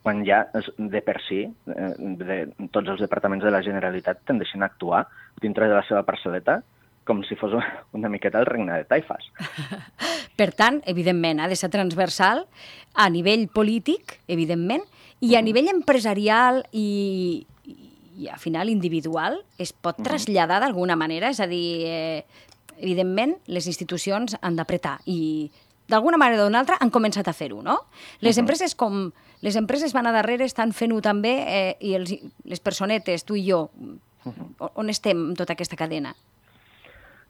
quan ja de per si eh, de, tots els departaments de la Generalitat tendeixen a actuar dintre de la seva parcel·leta com si fos una miqueta el regne de taifes. Per tant, evidentment, ha de ser transversal a nivell polític, evidentment, i a nivell empresarial i, i a final individual es pot traslladar d'alguna manera, és a dir, eh, evidentment, les institucions han d'apretar i d'alguna manera o d'una altra han començat a fer-ho, no? Les uh-huh. empreses com les empreses van a darrere estan fent-ho també eh, i els, les personetes, tu i jo, uh-huh. on estem en tota aquesta cadena?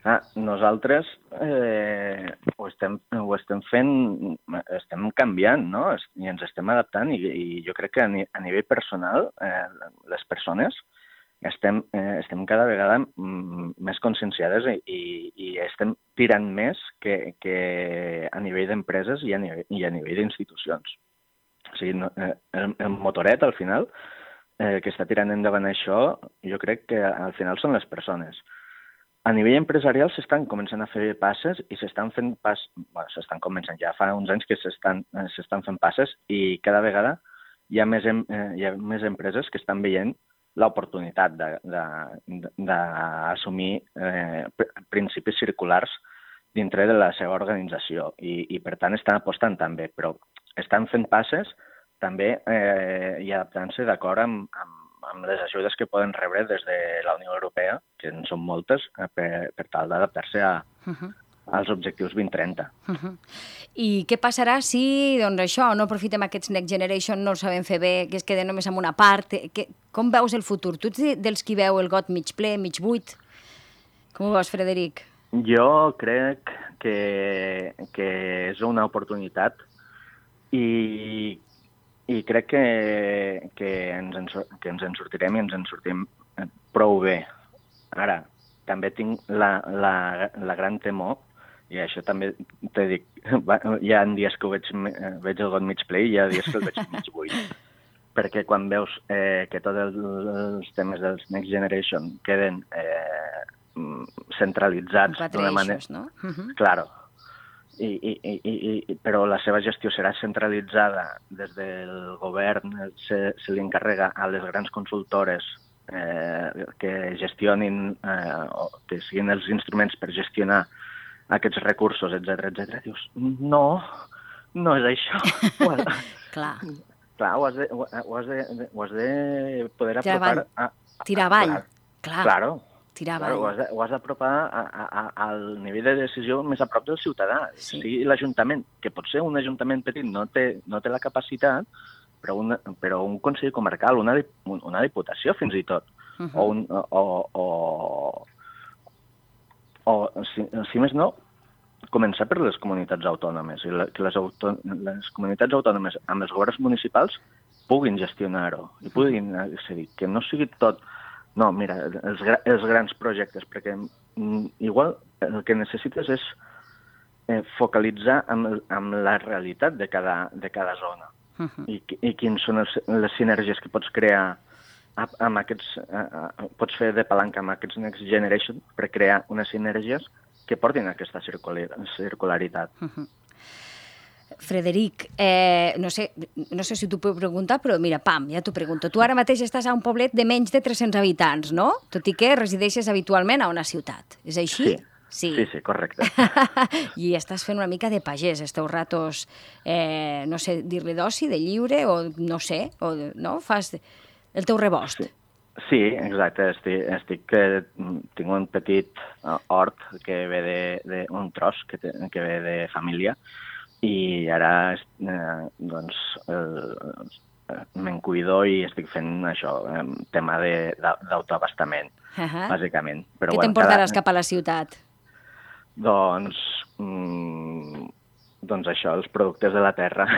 Ah, nosaltres eh, ho, estem, ho estem fent, estem canviant, no? I ens estem adaptant i, i jo crec que a, ni, a nivell personal eh, les persones estem, eh, estem cada vegada mm, més conscienciades i, i, i estem tirant més que, que a nivell d'empreses i a nivell, i a nivell d'institucions. O sigui, no, eh, el, el motoret, al final, eh, que està tirant endavant això, jo crec que al final són les persones. A nivell empresarial s'estan començant a fer passes i s'estan fent pas... Bueno, s'estan començant, ja fa uns anys que s'estan s'estan fent passes i cada vegada hi ha més, em, eh, hi ha més empreses que estan veient l'oportunitat d'assumir eh, principis circulars dintre de la seva organització i, i per tant estan apostant també, però estan fent passes també eh, i adaptant-se d'acord amb, amb amb les ajudes que poden rebre des de la Unió Europea, que en són moltes, per, per tal d'adaptar-se a, uh-huh. als objectius vint trenta. Uh-huh. I què passarà si, doncs això, no aprofitem aquests Next Generation, no ho sabem fer bé, que es queden només amb una part? Que, com veus el futur? Tu ets dels qui veu el got mig ple, mig buit? Com ho veus, Frederic? Jo crec que, que és una oportunitat i I crec que, que, ens en, que ens en sortirem i ens en sortim prou bé. Ara, també tinc la, la, la gran temor, i això també t'he dit, hi ha dies que ho veig, veig el got mig ple i hi ha dies que el veig mig buit. Perquè quan veus eh, que tots els, els temes dels Next Generation queden eh, centralitzats d'una manera... Eixos, no? Uh-huh. Claro. I, i, i, i, però la seva gestió serà centralitzada des del govern, se, se li encarrega a les grans consultores eh, que gestionin, eh, o que siguin els instruments per gestionar aquests recursos, etcètera, etcètera. Dius, no, no és això. Clar. Clar, ho has de, ho has de, ho has de poder apropar... Tirar avall. A, Tirar avall. Clar. Claro. Claro, ho has de, ho has d'apropar al nivell de decisió més a prop del ciutadà. Sí. Sí, l'Ajuntament, que potser un Ajuntament petit no té, no té la capacitat, però, una, però un Consell Comarcal, una, una Diputació fins i tot, uh-huh. o, un, o, o, o si, si més no, començar per les comunitats autònomes, i la, que les, autò, les comunitats autònomes amb els governs municipals puguin gestionar-ho, i puguin accedir, que no sigui tot No, mira, els, els grans projectes, perquè igual el que necessites és eh, focalitzar amb, amb la realitat de cada, de cada zona. Uh-huh. I, i quins són els, les sinergies que pots crear amb aquests, uh, pots fer de palanca amb aquests Next Generation per crear unes sinergies que portin a aquesta circularitat. Uh-huh. Frederic, eh, no sé, no sé si t'ho puc preguntar, però mira, pam, ja t'ho pregunto. Tu ara mateix estàs a un poblet de menys de tres-cents habitants, no? Tot i que resideixes habitualment a una ciutat. És així? Sí. Sí, sí, sí, correcte. I estàs fent una mica de pagès, els teus ratos, eh, no sé, dir-li d'oci, de lliure, o no sé, o, no? Fas el teu rebost. Sí, sí, exacte. Estic, estic, que tinc un petit hort que ve de, de un tros que, te, que ve de família, i ara eh, doncs, eh, me'n cuido i estic fent això, eh, tema d'autoabastament, uh-huh. bàsicament. Però, què bueno, t'emportaràs cada... cap a la ciutat? Doncs, mm, doncs això, els productes de la terra.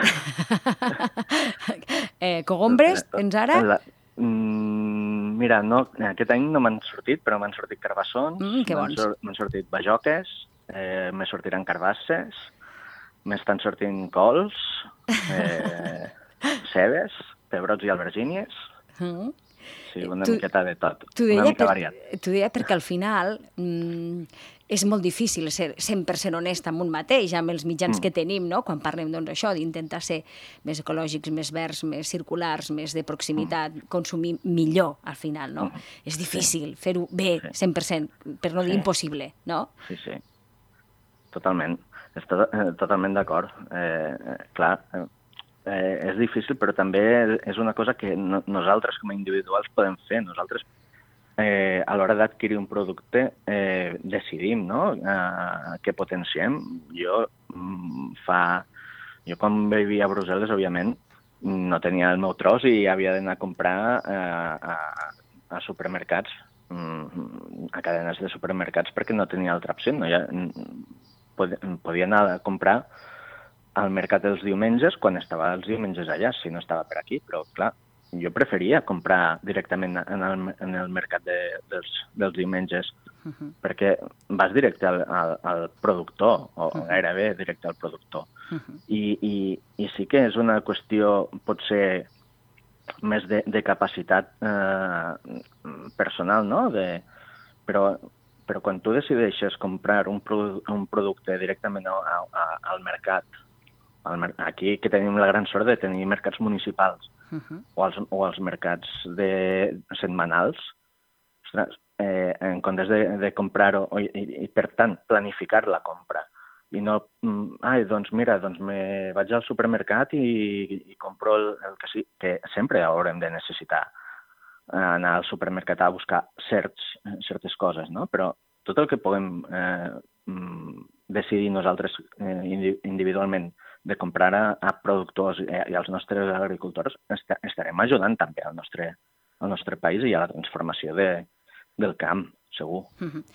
eh, cogombres, tens ara? La, mm, mira, no, aquest any no m'han sortit, però m'han sortit carbassons, mm, m'han sor, sortit bajoques, eh, me sortiran carbasses, m'estan sortint cols, eh, cebes, pebrots i albergínies. Mm. Sí, una tu, miqueta de tot, una mica per, variat. T'ho deia perquè al final mm, és molt difícil ser cent per cent honest amb un mateix, amb els mitjans mm. que tenim, no? Quan parlem doncs, això, d'intentar ser més ecològics, més verds, més circulars, més de proximitat, mm. consumir millor al final, no? Mm. És difícil sí. fer-ho bé, sí. cent per cent, per no dir sí. impossible, no? Sí, sí, totalment. Estic totalment d'acord. Eh, clar, eh, és difícil, però també és una cosa que no, nosaltres com a individuals podem fer. Nosaltres, eh, a l'hora d'adquirir un producte, eh, decidim, no?, eh, què potenciem. Jo fa... Jo quan vivia a Brussel·les, òbviament, no tenia el meu tros i havia d'anar a comprar eh, a, a supermercats, a cadenes de supermercats, perquè no tenia altra opció. No hi ha... podia anar a comprar al mercat els diumenges quan estava els diumenges allà, si no estava per aquí, però clar, jo preferia comprar directament en el, en el mercat de, dels, dels diumenges, uh-huh. perquè vas directe al, al, al productor, o uh-huh. gairebé directe al productor. Uh-huh. I, i, I sí que és una qüestió, potser, més de, de capacitat eh, personal, no?, de, però... Però quan tu decideixes comprar un, produ un producte directament a, a, al mercat, al mer aquí que tenim la gran sort de tenir mercats municipals uh-huh. o, els, o els mercats de setmanals, ostres, eh, en comptes de, de comprar-ho i, i, i, per tant, planificar la compra. I no, ai, doncs mira, doncs me vaig al supermercat i, i compro el, el que sí, que sempre haurem de necessitar. Anar al supermercat a buscar certs, certes coses, no? Però tot el que puguem eh, decidir nosaltres eh, individualment de comprar a, a productors i als nostres agricultors, est estarem ajudant també al nostre, al nostre país i a la transformació de, del camp, segur. Mm-hmm.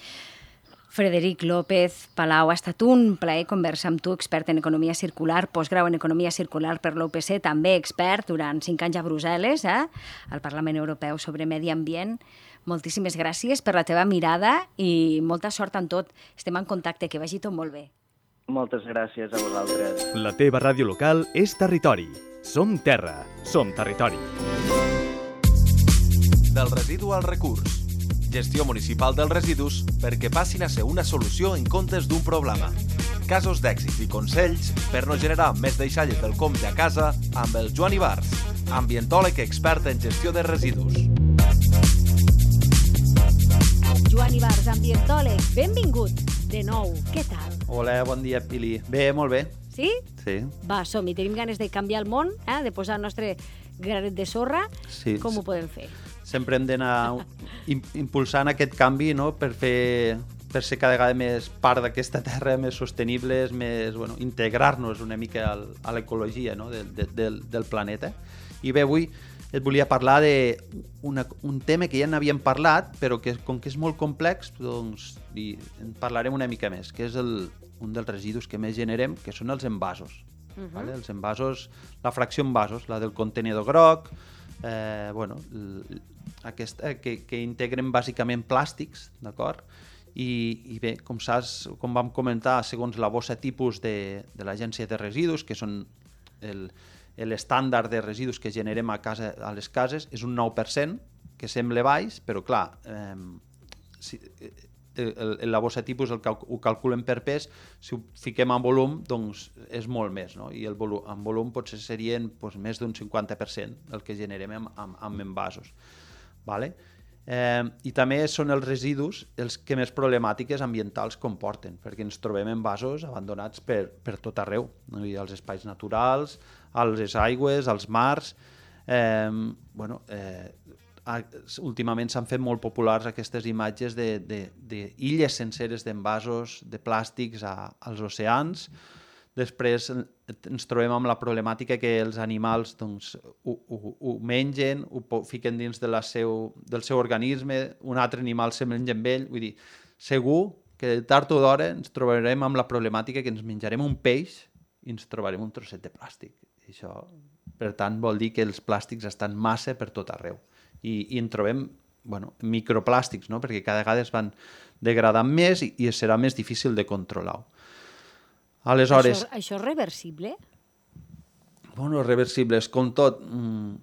Frederic López Palau, ha estat un plaer conversar amb tu, expert en economia circular, postgrau en economia circular per l'U P C, també expert durant cinc anys a Brussel·les, eh, al Parlament Europeu sobre medi ambient. Moltíssimes gràcies per la teva mirada i molta sort en tot. Estem en contacte, que vagi tot molt bé. Moltes gràcies a vosaltres. La teva ràdio local és territori. Som terra, som territori. Del residu al recurs. Gestió municipal dels residus perquè passin a ser una solució en comptes d'un problema. Casos d'èxit i consells per no generar més deixalles del compte a casa amb el Joan Ibars, ambientòleg expert en gestió de residus. Joan Ibars, ambientòleg, benvingut de nou. Què tal? Hola, bon dia, Pili. Bé, molt bé. Sí? Sí. Va, som-hi. Tenim ganes de canviar el món, eh? de posar el nostre granet de sorra. Sí. Com ho podem fer? Sempre hem d'anar impulsant aquest canvi, no?, per fer per ser cada vegada més part d'aquesta terra, més sostenibles, més, bueno, integrar-nos una mica al, a l'ecologia, no?, de, de, del, del planeta. I bé, avui et volia parlar d'un un tema que ja n'havíem parlat, però que com que és molt complex, doncs i en parlarem una mica més, que és el, un dels residus que més generem, que són els envasos. Uh-huh. Vale? Els envasos, la fracció envasos, la del contenidor groc, eh, bueno, aquesta, que, que integren bàsicament plàstics, d'acord? I, I bé, com saps, com vam comentar, segons la bossa tipus de, de l'Agència de Residus, que són el, l'estàndard de residus que generem a, casa, a les cases, és un nou per cent, que sembla baix, però clar, eh, si, el, la bossa tipus el, ho calculen per pes, si ho fiquem en volum, doncs és molt més, no? I el volum, en volum potser serien doncs, més d'un cinquanta per cent el que generem amb, amb, amb envasos. Vale? Eh, I també són els residus els que més problemàtiques ambientals comporten, perquè ens trobem envasos abandonats per, per tot arreu, no? I als espais naturals, a les aigües, als mars. Eh, bueno, eh, últimament s'han fet molt populars aquestes imatges d'illes senceres d'envasos de plàstics a, als oceans. Després ens trobem amb la problemàtica que els animals doncs, ho, ho, ho mengen, ho fiquen dins de la seu, del seu organisme, un altre animal se menja amb ell. Vull dir, segur que tard o d'hora ens trobarem amb la problemàtica que ens menjarem un peix i ens trobarem un trosset de plàstic. I això, per tant, vol dir que els plàstics estan massa per tot arreu. I, i en trobem bueno, microplàstics, no? Perquè cada vegada es van degradant més i, i serà més difícil de controlar-ho. Aleshores... Això, això és reversible? Bueno, reversible, és com tot. Mm,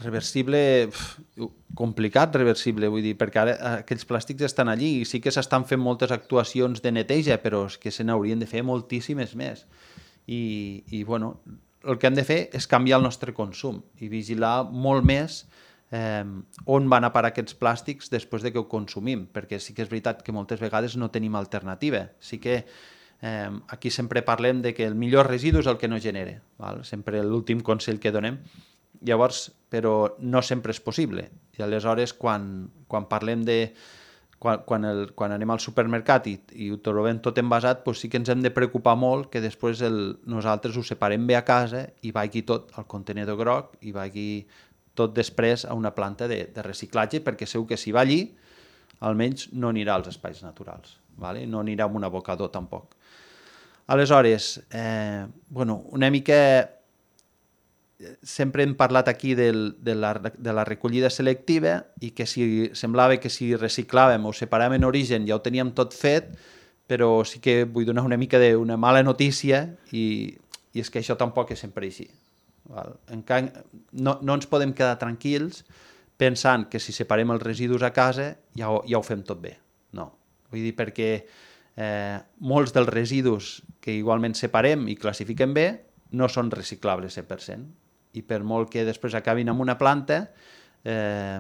reversible, pf, complicat reversible, vull dir, perquè ara aquells plàstics estan allí i sí que s'estan fent moltes actuacions de neteja, però és que se n'haurien de fer moltíssimes més. I, i bueno, el que hem de fer és canviar el nostre consum i vigilar molt més Eh, on van a parar aquests plàstics després de que ho consumim, perquè sí que és veritat que moltes vegades no tenim alternativa. Sí que eh, aquí sempre parlem de que el millor residu és el que no genera, val? Sempre l'últim consell que donem. Llavors, però no sempre és possible. I aleshores, quan, quan parlem de... Quan, quan, el, quan anem al supermercat i, i ho trobem tot envasat, doncs sí que ens hem de preocupar molt que després el, nosaltres ho separem bé a casa i vagi tot al contenedor groc i vagi tot després a una planta de, de reciclatge, perquè segur que si va allí, almenys no anirà als espais naturals, ¿vale? No anirà amb un abocador tampoc. Aleshores, eh, bueno, una mica... Sempre hem parlat aquí del, de, la, de la recollida selectiva i que si semblava que si reciclàvem o separàvem en origen ja ho teníem tot fet, però sí que vull donar una mica d'una mala notícia i, i és que això tampoc és sempre així. No, no ens podem quedar tranquils pensant que si separem els residus a casa ja ho, ja ho fem tot bé. No. Vull dir, perquè eh, molts dels residus que igualment separem i classifiquem bé no són reciclables cent per cent. I per molt que després acabin en una planta, eh,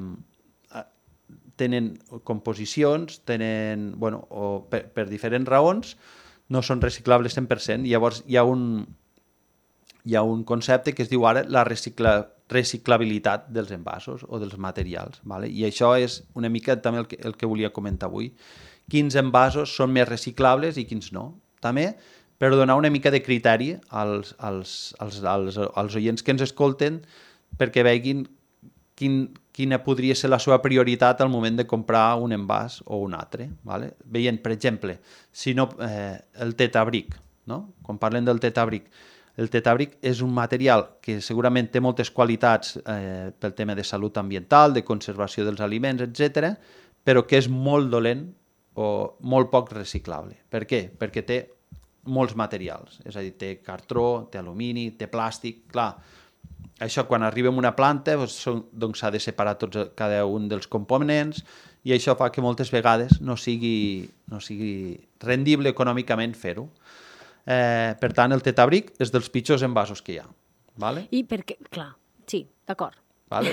tenen composicions, tenen, bueno, o per, per diferents raons, no són reciclables cent per cent. Llavors hi ha un... hi ha un concepte que es diu ara la recicla, reciclabilitat dels envasos o dels materials. ¿Vale? I això és una mica també el que, el que volia comentar avui. Quins envasos són més reciclables i quins no. També per donar una mica de criteri als, als, als, als, als oients que ens escolten perquè veguin quin, quina podria ser la seva prioritat al moment de comprar un envàs o un altre. ¿Vale? Veient, per exemple, si no, eh, el tetabric, no? Quan parlem del tetabric, el tetabric és un material que segurament té moltes qualitats eh, pel tema de salut ambiental, de conservació dels aliments, etcètera, però que és molt dolent o molt poc reciclable. Per què? Perquè té molts materials, és a dir, té cartró, té alumini, té plàstic, clar. Això quan arriba a una planta doncs, doncs s'ha de separar tots, cada un dels components i això fa que moltes vegades no sigui, no sigui rendible econòmicament fer-ho. Eh, per tant, el tetabric és dels pitjors envasos que hi ha. Vale? I perquè, clar, sí, d'acord. Vale?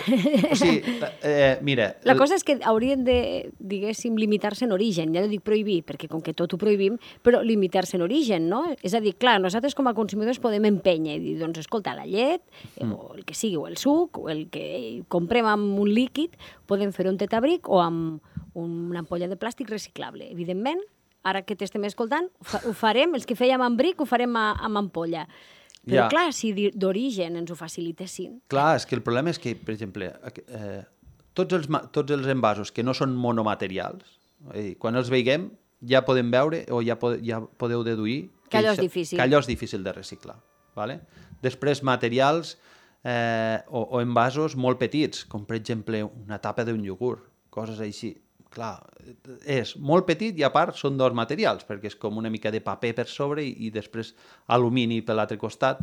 O sigui, eh, mira... La el... cosa és que haurien de, diguéssim, limitar-se en origen. Ja no dic prohibir, perquè com que tot ho prohibim, però limitar-se en origen, no? És a dir, clar, nosaltres com a consumidors podem empènyer i dir, doncs, escolta, la llet, mm. o el que sigui, o el suc, o el que comprem amb un líquid, podem fer un tetabric o amb una ampolla de plàstic reciclable. Evidentment, ara que t'estem escoltant, ho farem, els que fèiem amb bric ho farem amb ampolla. Però ja. Clar, si d'origen ens ho facilitessin... Clar, és que el problema és que, per exemple, eh, tots, els, tots els envasos que no són monomaterials, eh, quan els veiem ja podem veure o ja, pod, ja podeu deduir que allò és difícil. Que allò és difícil de reciclar. Vale? Després, materials eh, o, o envasos molt petits, com per exemple una tapa d'un iogurt, coses així. Clar, és molt petit i a part són dos materials, perquè és com una mica de paper per sobre i, i després alumini per l'altre costat,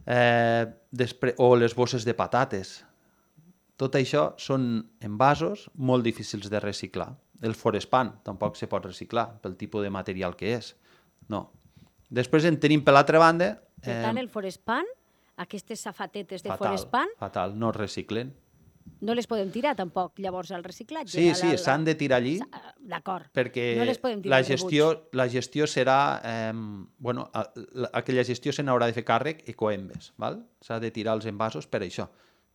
eh, després, o les bosses de patates. Tot això són envasos molt difícils de reciclar. El forespan tampoc se pot reciclar pel tipus de material que és. No. Després en tenim per l'altra banda... Per tant, el forespan, aquestes safatetes de fatal, forespan... Fatal, no es reciclen. No les podem tirar tampoc, llavors, al reciclatge? Sí, sí, s'han de tirar allí. D'acord. Perquè no les podem tirar la gestió, la gestió serà... Eh, bueno, aquella gestió se n'haurà de fer càrrec Ecoembes, val? S'ha de tirar els envasos per això.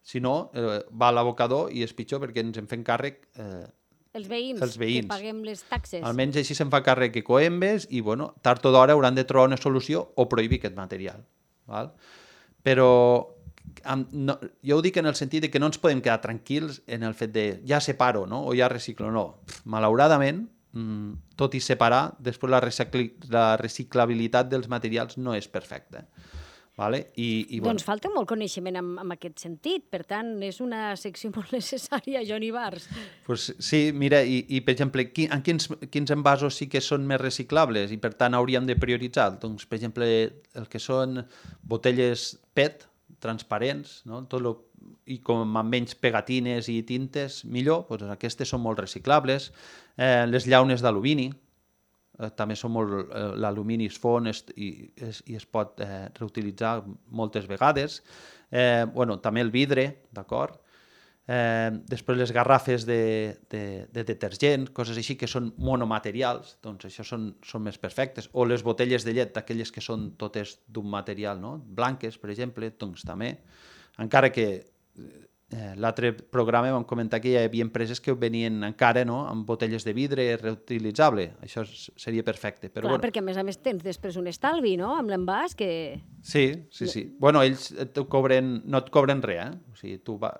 Si no, eh, va a l'abocador i és pitjor perquè ens en fem càrrec... Eh, Els veïns, els veïns, que paguem les taxes. Almenys així se'n fa càrrec Ecoembes i, bueno, tard o d'hora hauran de trobar una solució o prohibir aquest material. Val? Però amb, no, jo ho dic en el sentit de que no ens podem quedar tranquils en el fet de ja separo, no? O ja reciclo. No. Malauradament, mmm, tot i separar, després la, recicli, la reciclabilitat dels materials no és perfecta. Vale? I, i, bueno. Doncs falta molt coneixement en, en aquest sentit, per tant, és una secció molt necessària, Joan Ibars. Pues sí, mira, i, i per exemple, qui, en quins, quins envasos sí que són més reciclables i per tant hauríem de prioritzar? Doncs, per exemple, el que són botelles P E T, transparents, no? Tot lo, i com amb menys pegatines i tintes, millor, doncs aquestes són molt reciclables. Eh, les llaunes d'alumini, Eh, també són molt... Eh, l'alumini es fon es, i, es, i es pot eh, reutilitzar moltes vegades. Eh, bueno, també el vidre, d'acord? Eh, després les garrafes de, de, de detergent, coses així que són monomaterials, doncs això són, són més perfectes. O les botelles de llet, aquelles que són totes d'un material, no? Blanques, per exemple, doncs també. Encara que... Eh, l'altre programa vam comentar que hi havia empreses que venien encara, no?, amb botelles de vidre reutilitzable. Això seria perfecte. Però, clar, bueno, perquè a més a més tens després un estalvi, no?, amb l'envàs que... Sí, sí, sí. Bueno, ells et cobren, no et cobren res, eh? O sigui, tu va,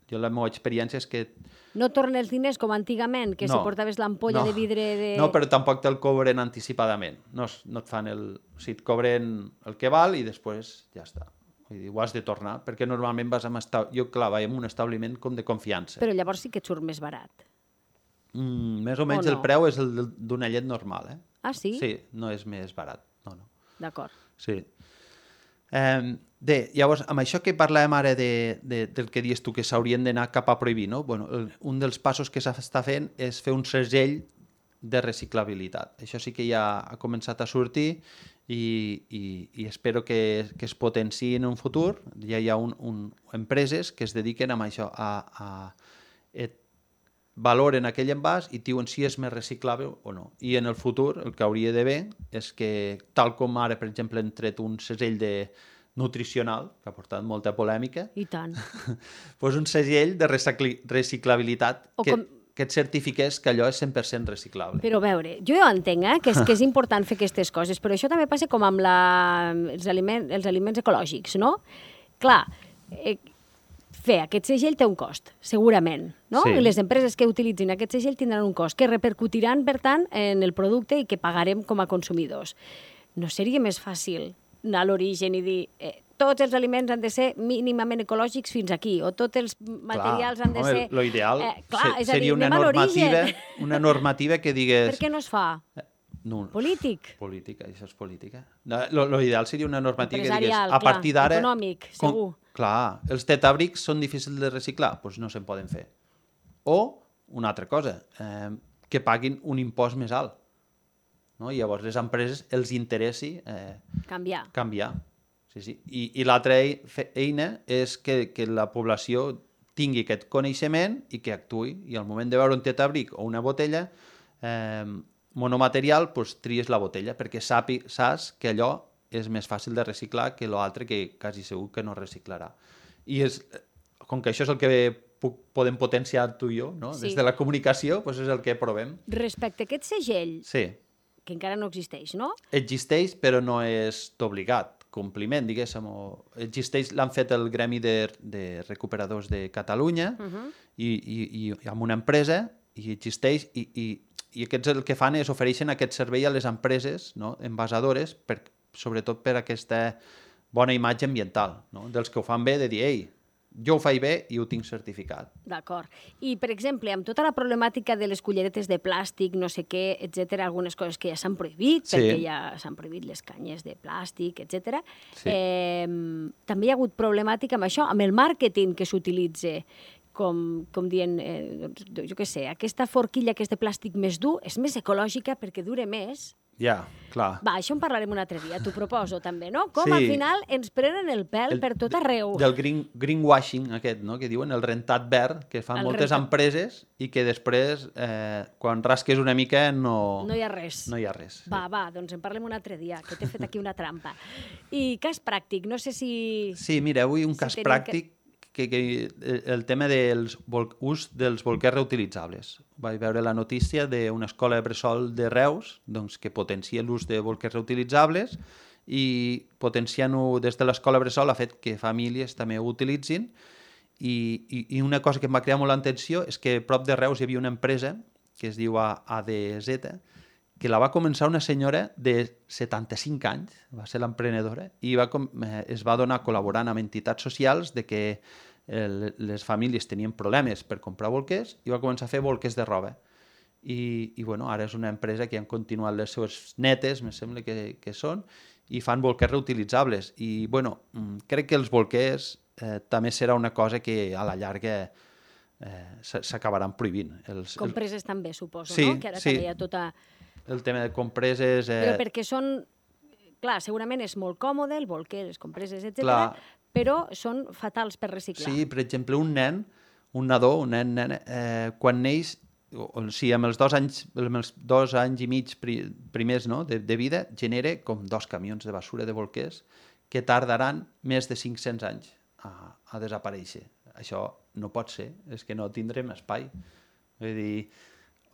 jo la meva experiència és que... No tornen els diners com antigament, que no, si portaves l'ampolla no, de vidre de... No, però tampoc te'l cobren anticipadament. No, no et fan el... O sigui, et cobren el que val i després ja està. Vull dir, ho has de tornar, perquè normalment vas amb... Esta... Jo, clar, vaig en un establiment com de confiança. Però llavors sí que et surt més barat. Mm, més o menys o no? El preu és el d'una llet normal, eh? Ah, sí? Sí, no és més barat. No, no. D'acord. Sí. Eh, bé, llavors, amb això que parlàvem ara de, de, del que dius tu, que s'haurien d'anar cap a prohibir, no? Bueno, el, un dels passos que s'està fent és fer un segell de reciclabilitat. Això sí que ja ha començat a sortir i, i, i espero que, que es potenciï en un futur. Ja hi ha un, un, empreses que es dediquen a això, a, a et valoren aquell envàs i diuen si és més reciclable o no. I en el futur el que hauria d'haver és que, tal com ara, per exemple, han tret un segell de nutricional, que ha portat molta polèmica, I tant. doncs un segell de recicli, reciclabilitat O que... com... que et certifiqués que allò és cent per cent reciclable. Però a veure, jo ja ho entenc, eh, que, és, que és important fer aquestes coses, però això també passa com amb la, els, aliment, els aliments ecològics, no? Clar, eh, fer aquest segell té un cost, segurament, no? Sí. I les empreses que utilitzin aquest segell tindran un cost, que repercutiran, per tant, en el producte i que pagarem com a consumidors. No seria més fàcil anar a l'origen i dir... Eh, tots els aliments han de ser mínimament ecològics fins aquí, o tots els materials clar, han de home, ser... Lo ideal eh, clar, se, és a dir, seria una normativa, una normativa que digués... Per què no es fa? No, Polític. Política, això és política. No, lo, lo ideal seria una normativa que digués... Empresarial, A partir clar, d'ara... econòmic, com, segur. Clar, els tetabrics són difícils de reciclar, doncs no se'n poden fer. O, una altra cosa, eh, que paguin un impost més alt. No? I llavors les empreses els interessi eh, Canviar. canviar. Sí, sí. I, i l'altra eina és que, que la població tingui aquest coneixement i que actuï. I al moment de veure un tetabric o una botella eh, monomaterial, doncs tries la botella, perquè sapi, saps que allò és més fàcil de reciclar que l'altre que quasi segur que no reciclarà. I és, com que això és el que puc, podem potenciar tu i jo, no? Sí. Des de la comunicació, doncs és el que provem. Respecte a aquest segell, Sí. que encara no existeix, no? Existeix, però no és d'obligat compliment, diguéssim. O existeix, l'han fet el Gremi de, de Recuperadors de Catalunya uh -huh. i, i, i amb una empresa, i existeix, i, i, i aquests el que fan és ofereixen aquest servei a les empreses, no? Envasadores, per, sobretot per aquesta bona imatge ambiental, no? Dels que ho fan bé, de dir, ei, jo ho faig bé i ho tinc certificat. D'acord. I, per exemple, amb tota la problemàtica de les culleretes de plàstic, no sé què, etcètera, algunes coses que ja s'han prohibit, Sí. perquè ja s'han prohibit les canyes de plàstic, etcètera. Sí. Eh, també hi ha hagut problemàtica amb això, amb el màrqueting que s'utilitza, com, com dient, eh, doncs, jo què sé, aquesta forquilla que és de plàstic més dur és més ecològica perquè dura més. Ja, clar. Va, això en parlarem un altre dia, t'ho proposo també, no? Com Sí. al final ens prenen el pèl El- per tot arreu. Del green, greenwashing aquest, no? Que diuen, el rentat verd, que fan El moltes rentat- empreses i que després, eh, quan rasques una mica, no, No hi ha res. no hi ha res. Va, va, doncs en parlem un altre dia, que t'he fet aquí una trampa. I cas pràctic, no sé si... Sí, mira, avui un Si cas tenim pràctic, que, que el tema del ús dels bolquers reutilitzables. Vaig veure la notícia d'una escola de bressol de Reus, doncs, que potencia l'ús de bolquers reutilitzables i potenciant-ho des de l'escola bressol ha fet que famílies també ho utilitzin i, i, i una cosa que em va crear molt l'atenció és que a prop de Reus hi havia una empresa que es diu A D Z, que la va començar una senyora de setanta-cinc anys, va ser l'emprenedora, i va com, eh, es va donar col·laborant amb entitats socials de que eh, les famílies tenien problemes per comprar bolquers i va començar a fer bolquers de roba. I, i bueno, ara és una empresa que han continuat les seves netes, me sembla que, que són, i fan bolquers reutilitzables. I bueno, mm, crec que els bolquers eh, també serà una cosa que a la llarga eh, s'acabaran prohibint. Els, Compreses també, suposo, Sí, no? Que ara sí. també hi ha tota... el tema de compreses... Eh, Però perquè són... Clar, segurament és molt còmode, el bolquer, les compreses, etcètera, Clar. però són fatals per reciclar. Sí, per exemple, un nen, un nadó, un nen, nena, eh, quan neix, o, o sigui, amb els dos anys, amb els dos anys i mig pri, primers no, de, de vida, genera com dos camions de basura de bolquers que tardaran més de cinc-cents anys a, a desaparèixer. Això no pot ser, és que no tindrem espai. Vull dir,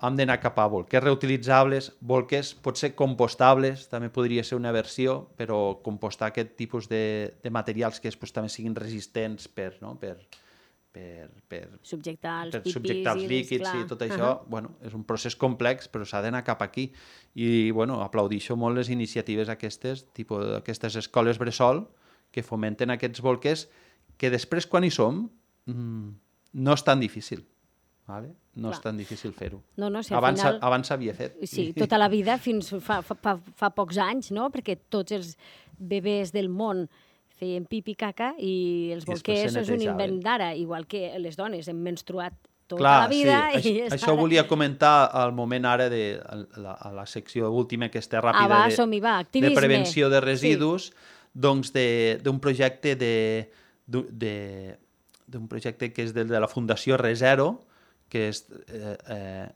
hem d'anar cap a bolquers reutilitzables, bolquers potser compostables, també podria ser una versió, però compostar aquest tipus de, de materials que després també siguin resistents per, no? per, per, per, Subjectar els per pipis subjectar els i líquids clar. i tot això, Uh-huh. bueno, és un procés complex, però s'ha d'anar cap aquí. I bueno, aplaudixo molt les iniciatives aquestes, tipus aquestes escoles bressol, que fomenten aquests bolquers, que després quan hi som, mmm, no és tan difícil. Vale? No Clar. és tan difícil fer-ho. No, no, si al abans final- abans s'havia fet. Sí, tota la vida, fins fa, fa, fa, fa pocs anys, no? Perquè tots els bebès del món feien pipi caca i els I després bolquers se és un netejaven. invent d'ara, igual que les dones hem menstruat tota Clar, la vida. sí. I Això, és això ara. volia comentar al moment ara de a la, a la secció última aquesta ràpida Ah, va, de, som-hi, va, de activisme. prevenció de residus, doncs de- d'un projecte de d'un de, d'un projecte que és de, de la Fundació Resero, que és, eh, eh,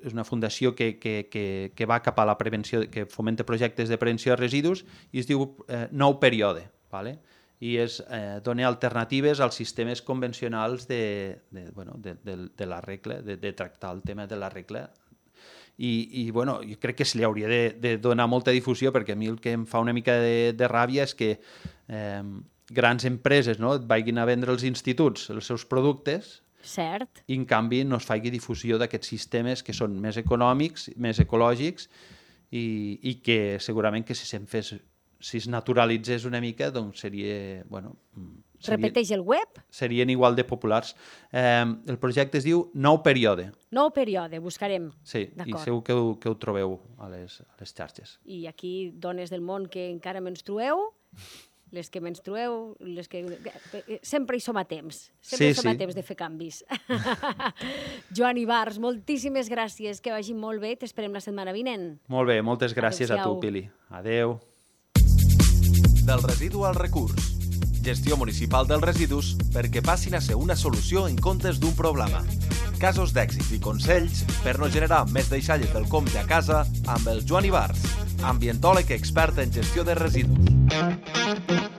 és una fundació que, que, que, que va cap a la prevenció, que fomenta projectes de prevenció de residus i es diu eh, Nou Període, ¿vale? I és eh, donar alternatives als sistemes convencionals de, de, bueno, de, de, de la regla, de, de tractar el tema de la regla. I, i bueno, jo crec que se li hauria de, de donar molta difusió, perquè a mi el que em fa una mica de, de ràbia és que eh, grans empreses, no, et vagin a vendre als instituts els seus productes Cert. i en canvi no es faci difusió d'aquests sistemes que són més econòmics, més ecològics i, i que segurament que si se'n fes, si es naturalitzés una mica, doncs seria, bueno, seria, Repeteix el web, serien igual de populars. Eh, el projecte es diu Nou Període, nou període, buscarem. sí, i D'acord. segur que ho, que ho trobeu a les, a les xarxes. I aquí, dones del món que encara menstrueu, les que menstrueu, les que... Sempre hi som a temps. Sempre Sí, hi som a sí. temps de fer canvis. Joan Ibars, moltíssimes gràcies, que vagi molt bé. T'esperem la setmana vinent. Molt bé, moltes gràcies a Adéu-siau. tu, Pili. Adeu. Del residu al recurs. Gestió municipal dels residus perquè passin a ser una solució en comptes d'un problema. Casos d'èxit i consells per no generar més deixalles del compte a casa amb el Joan Ibars, ambientòleg expert en gestió de residus.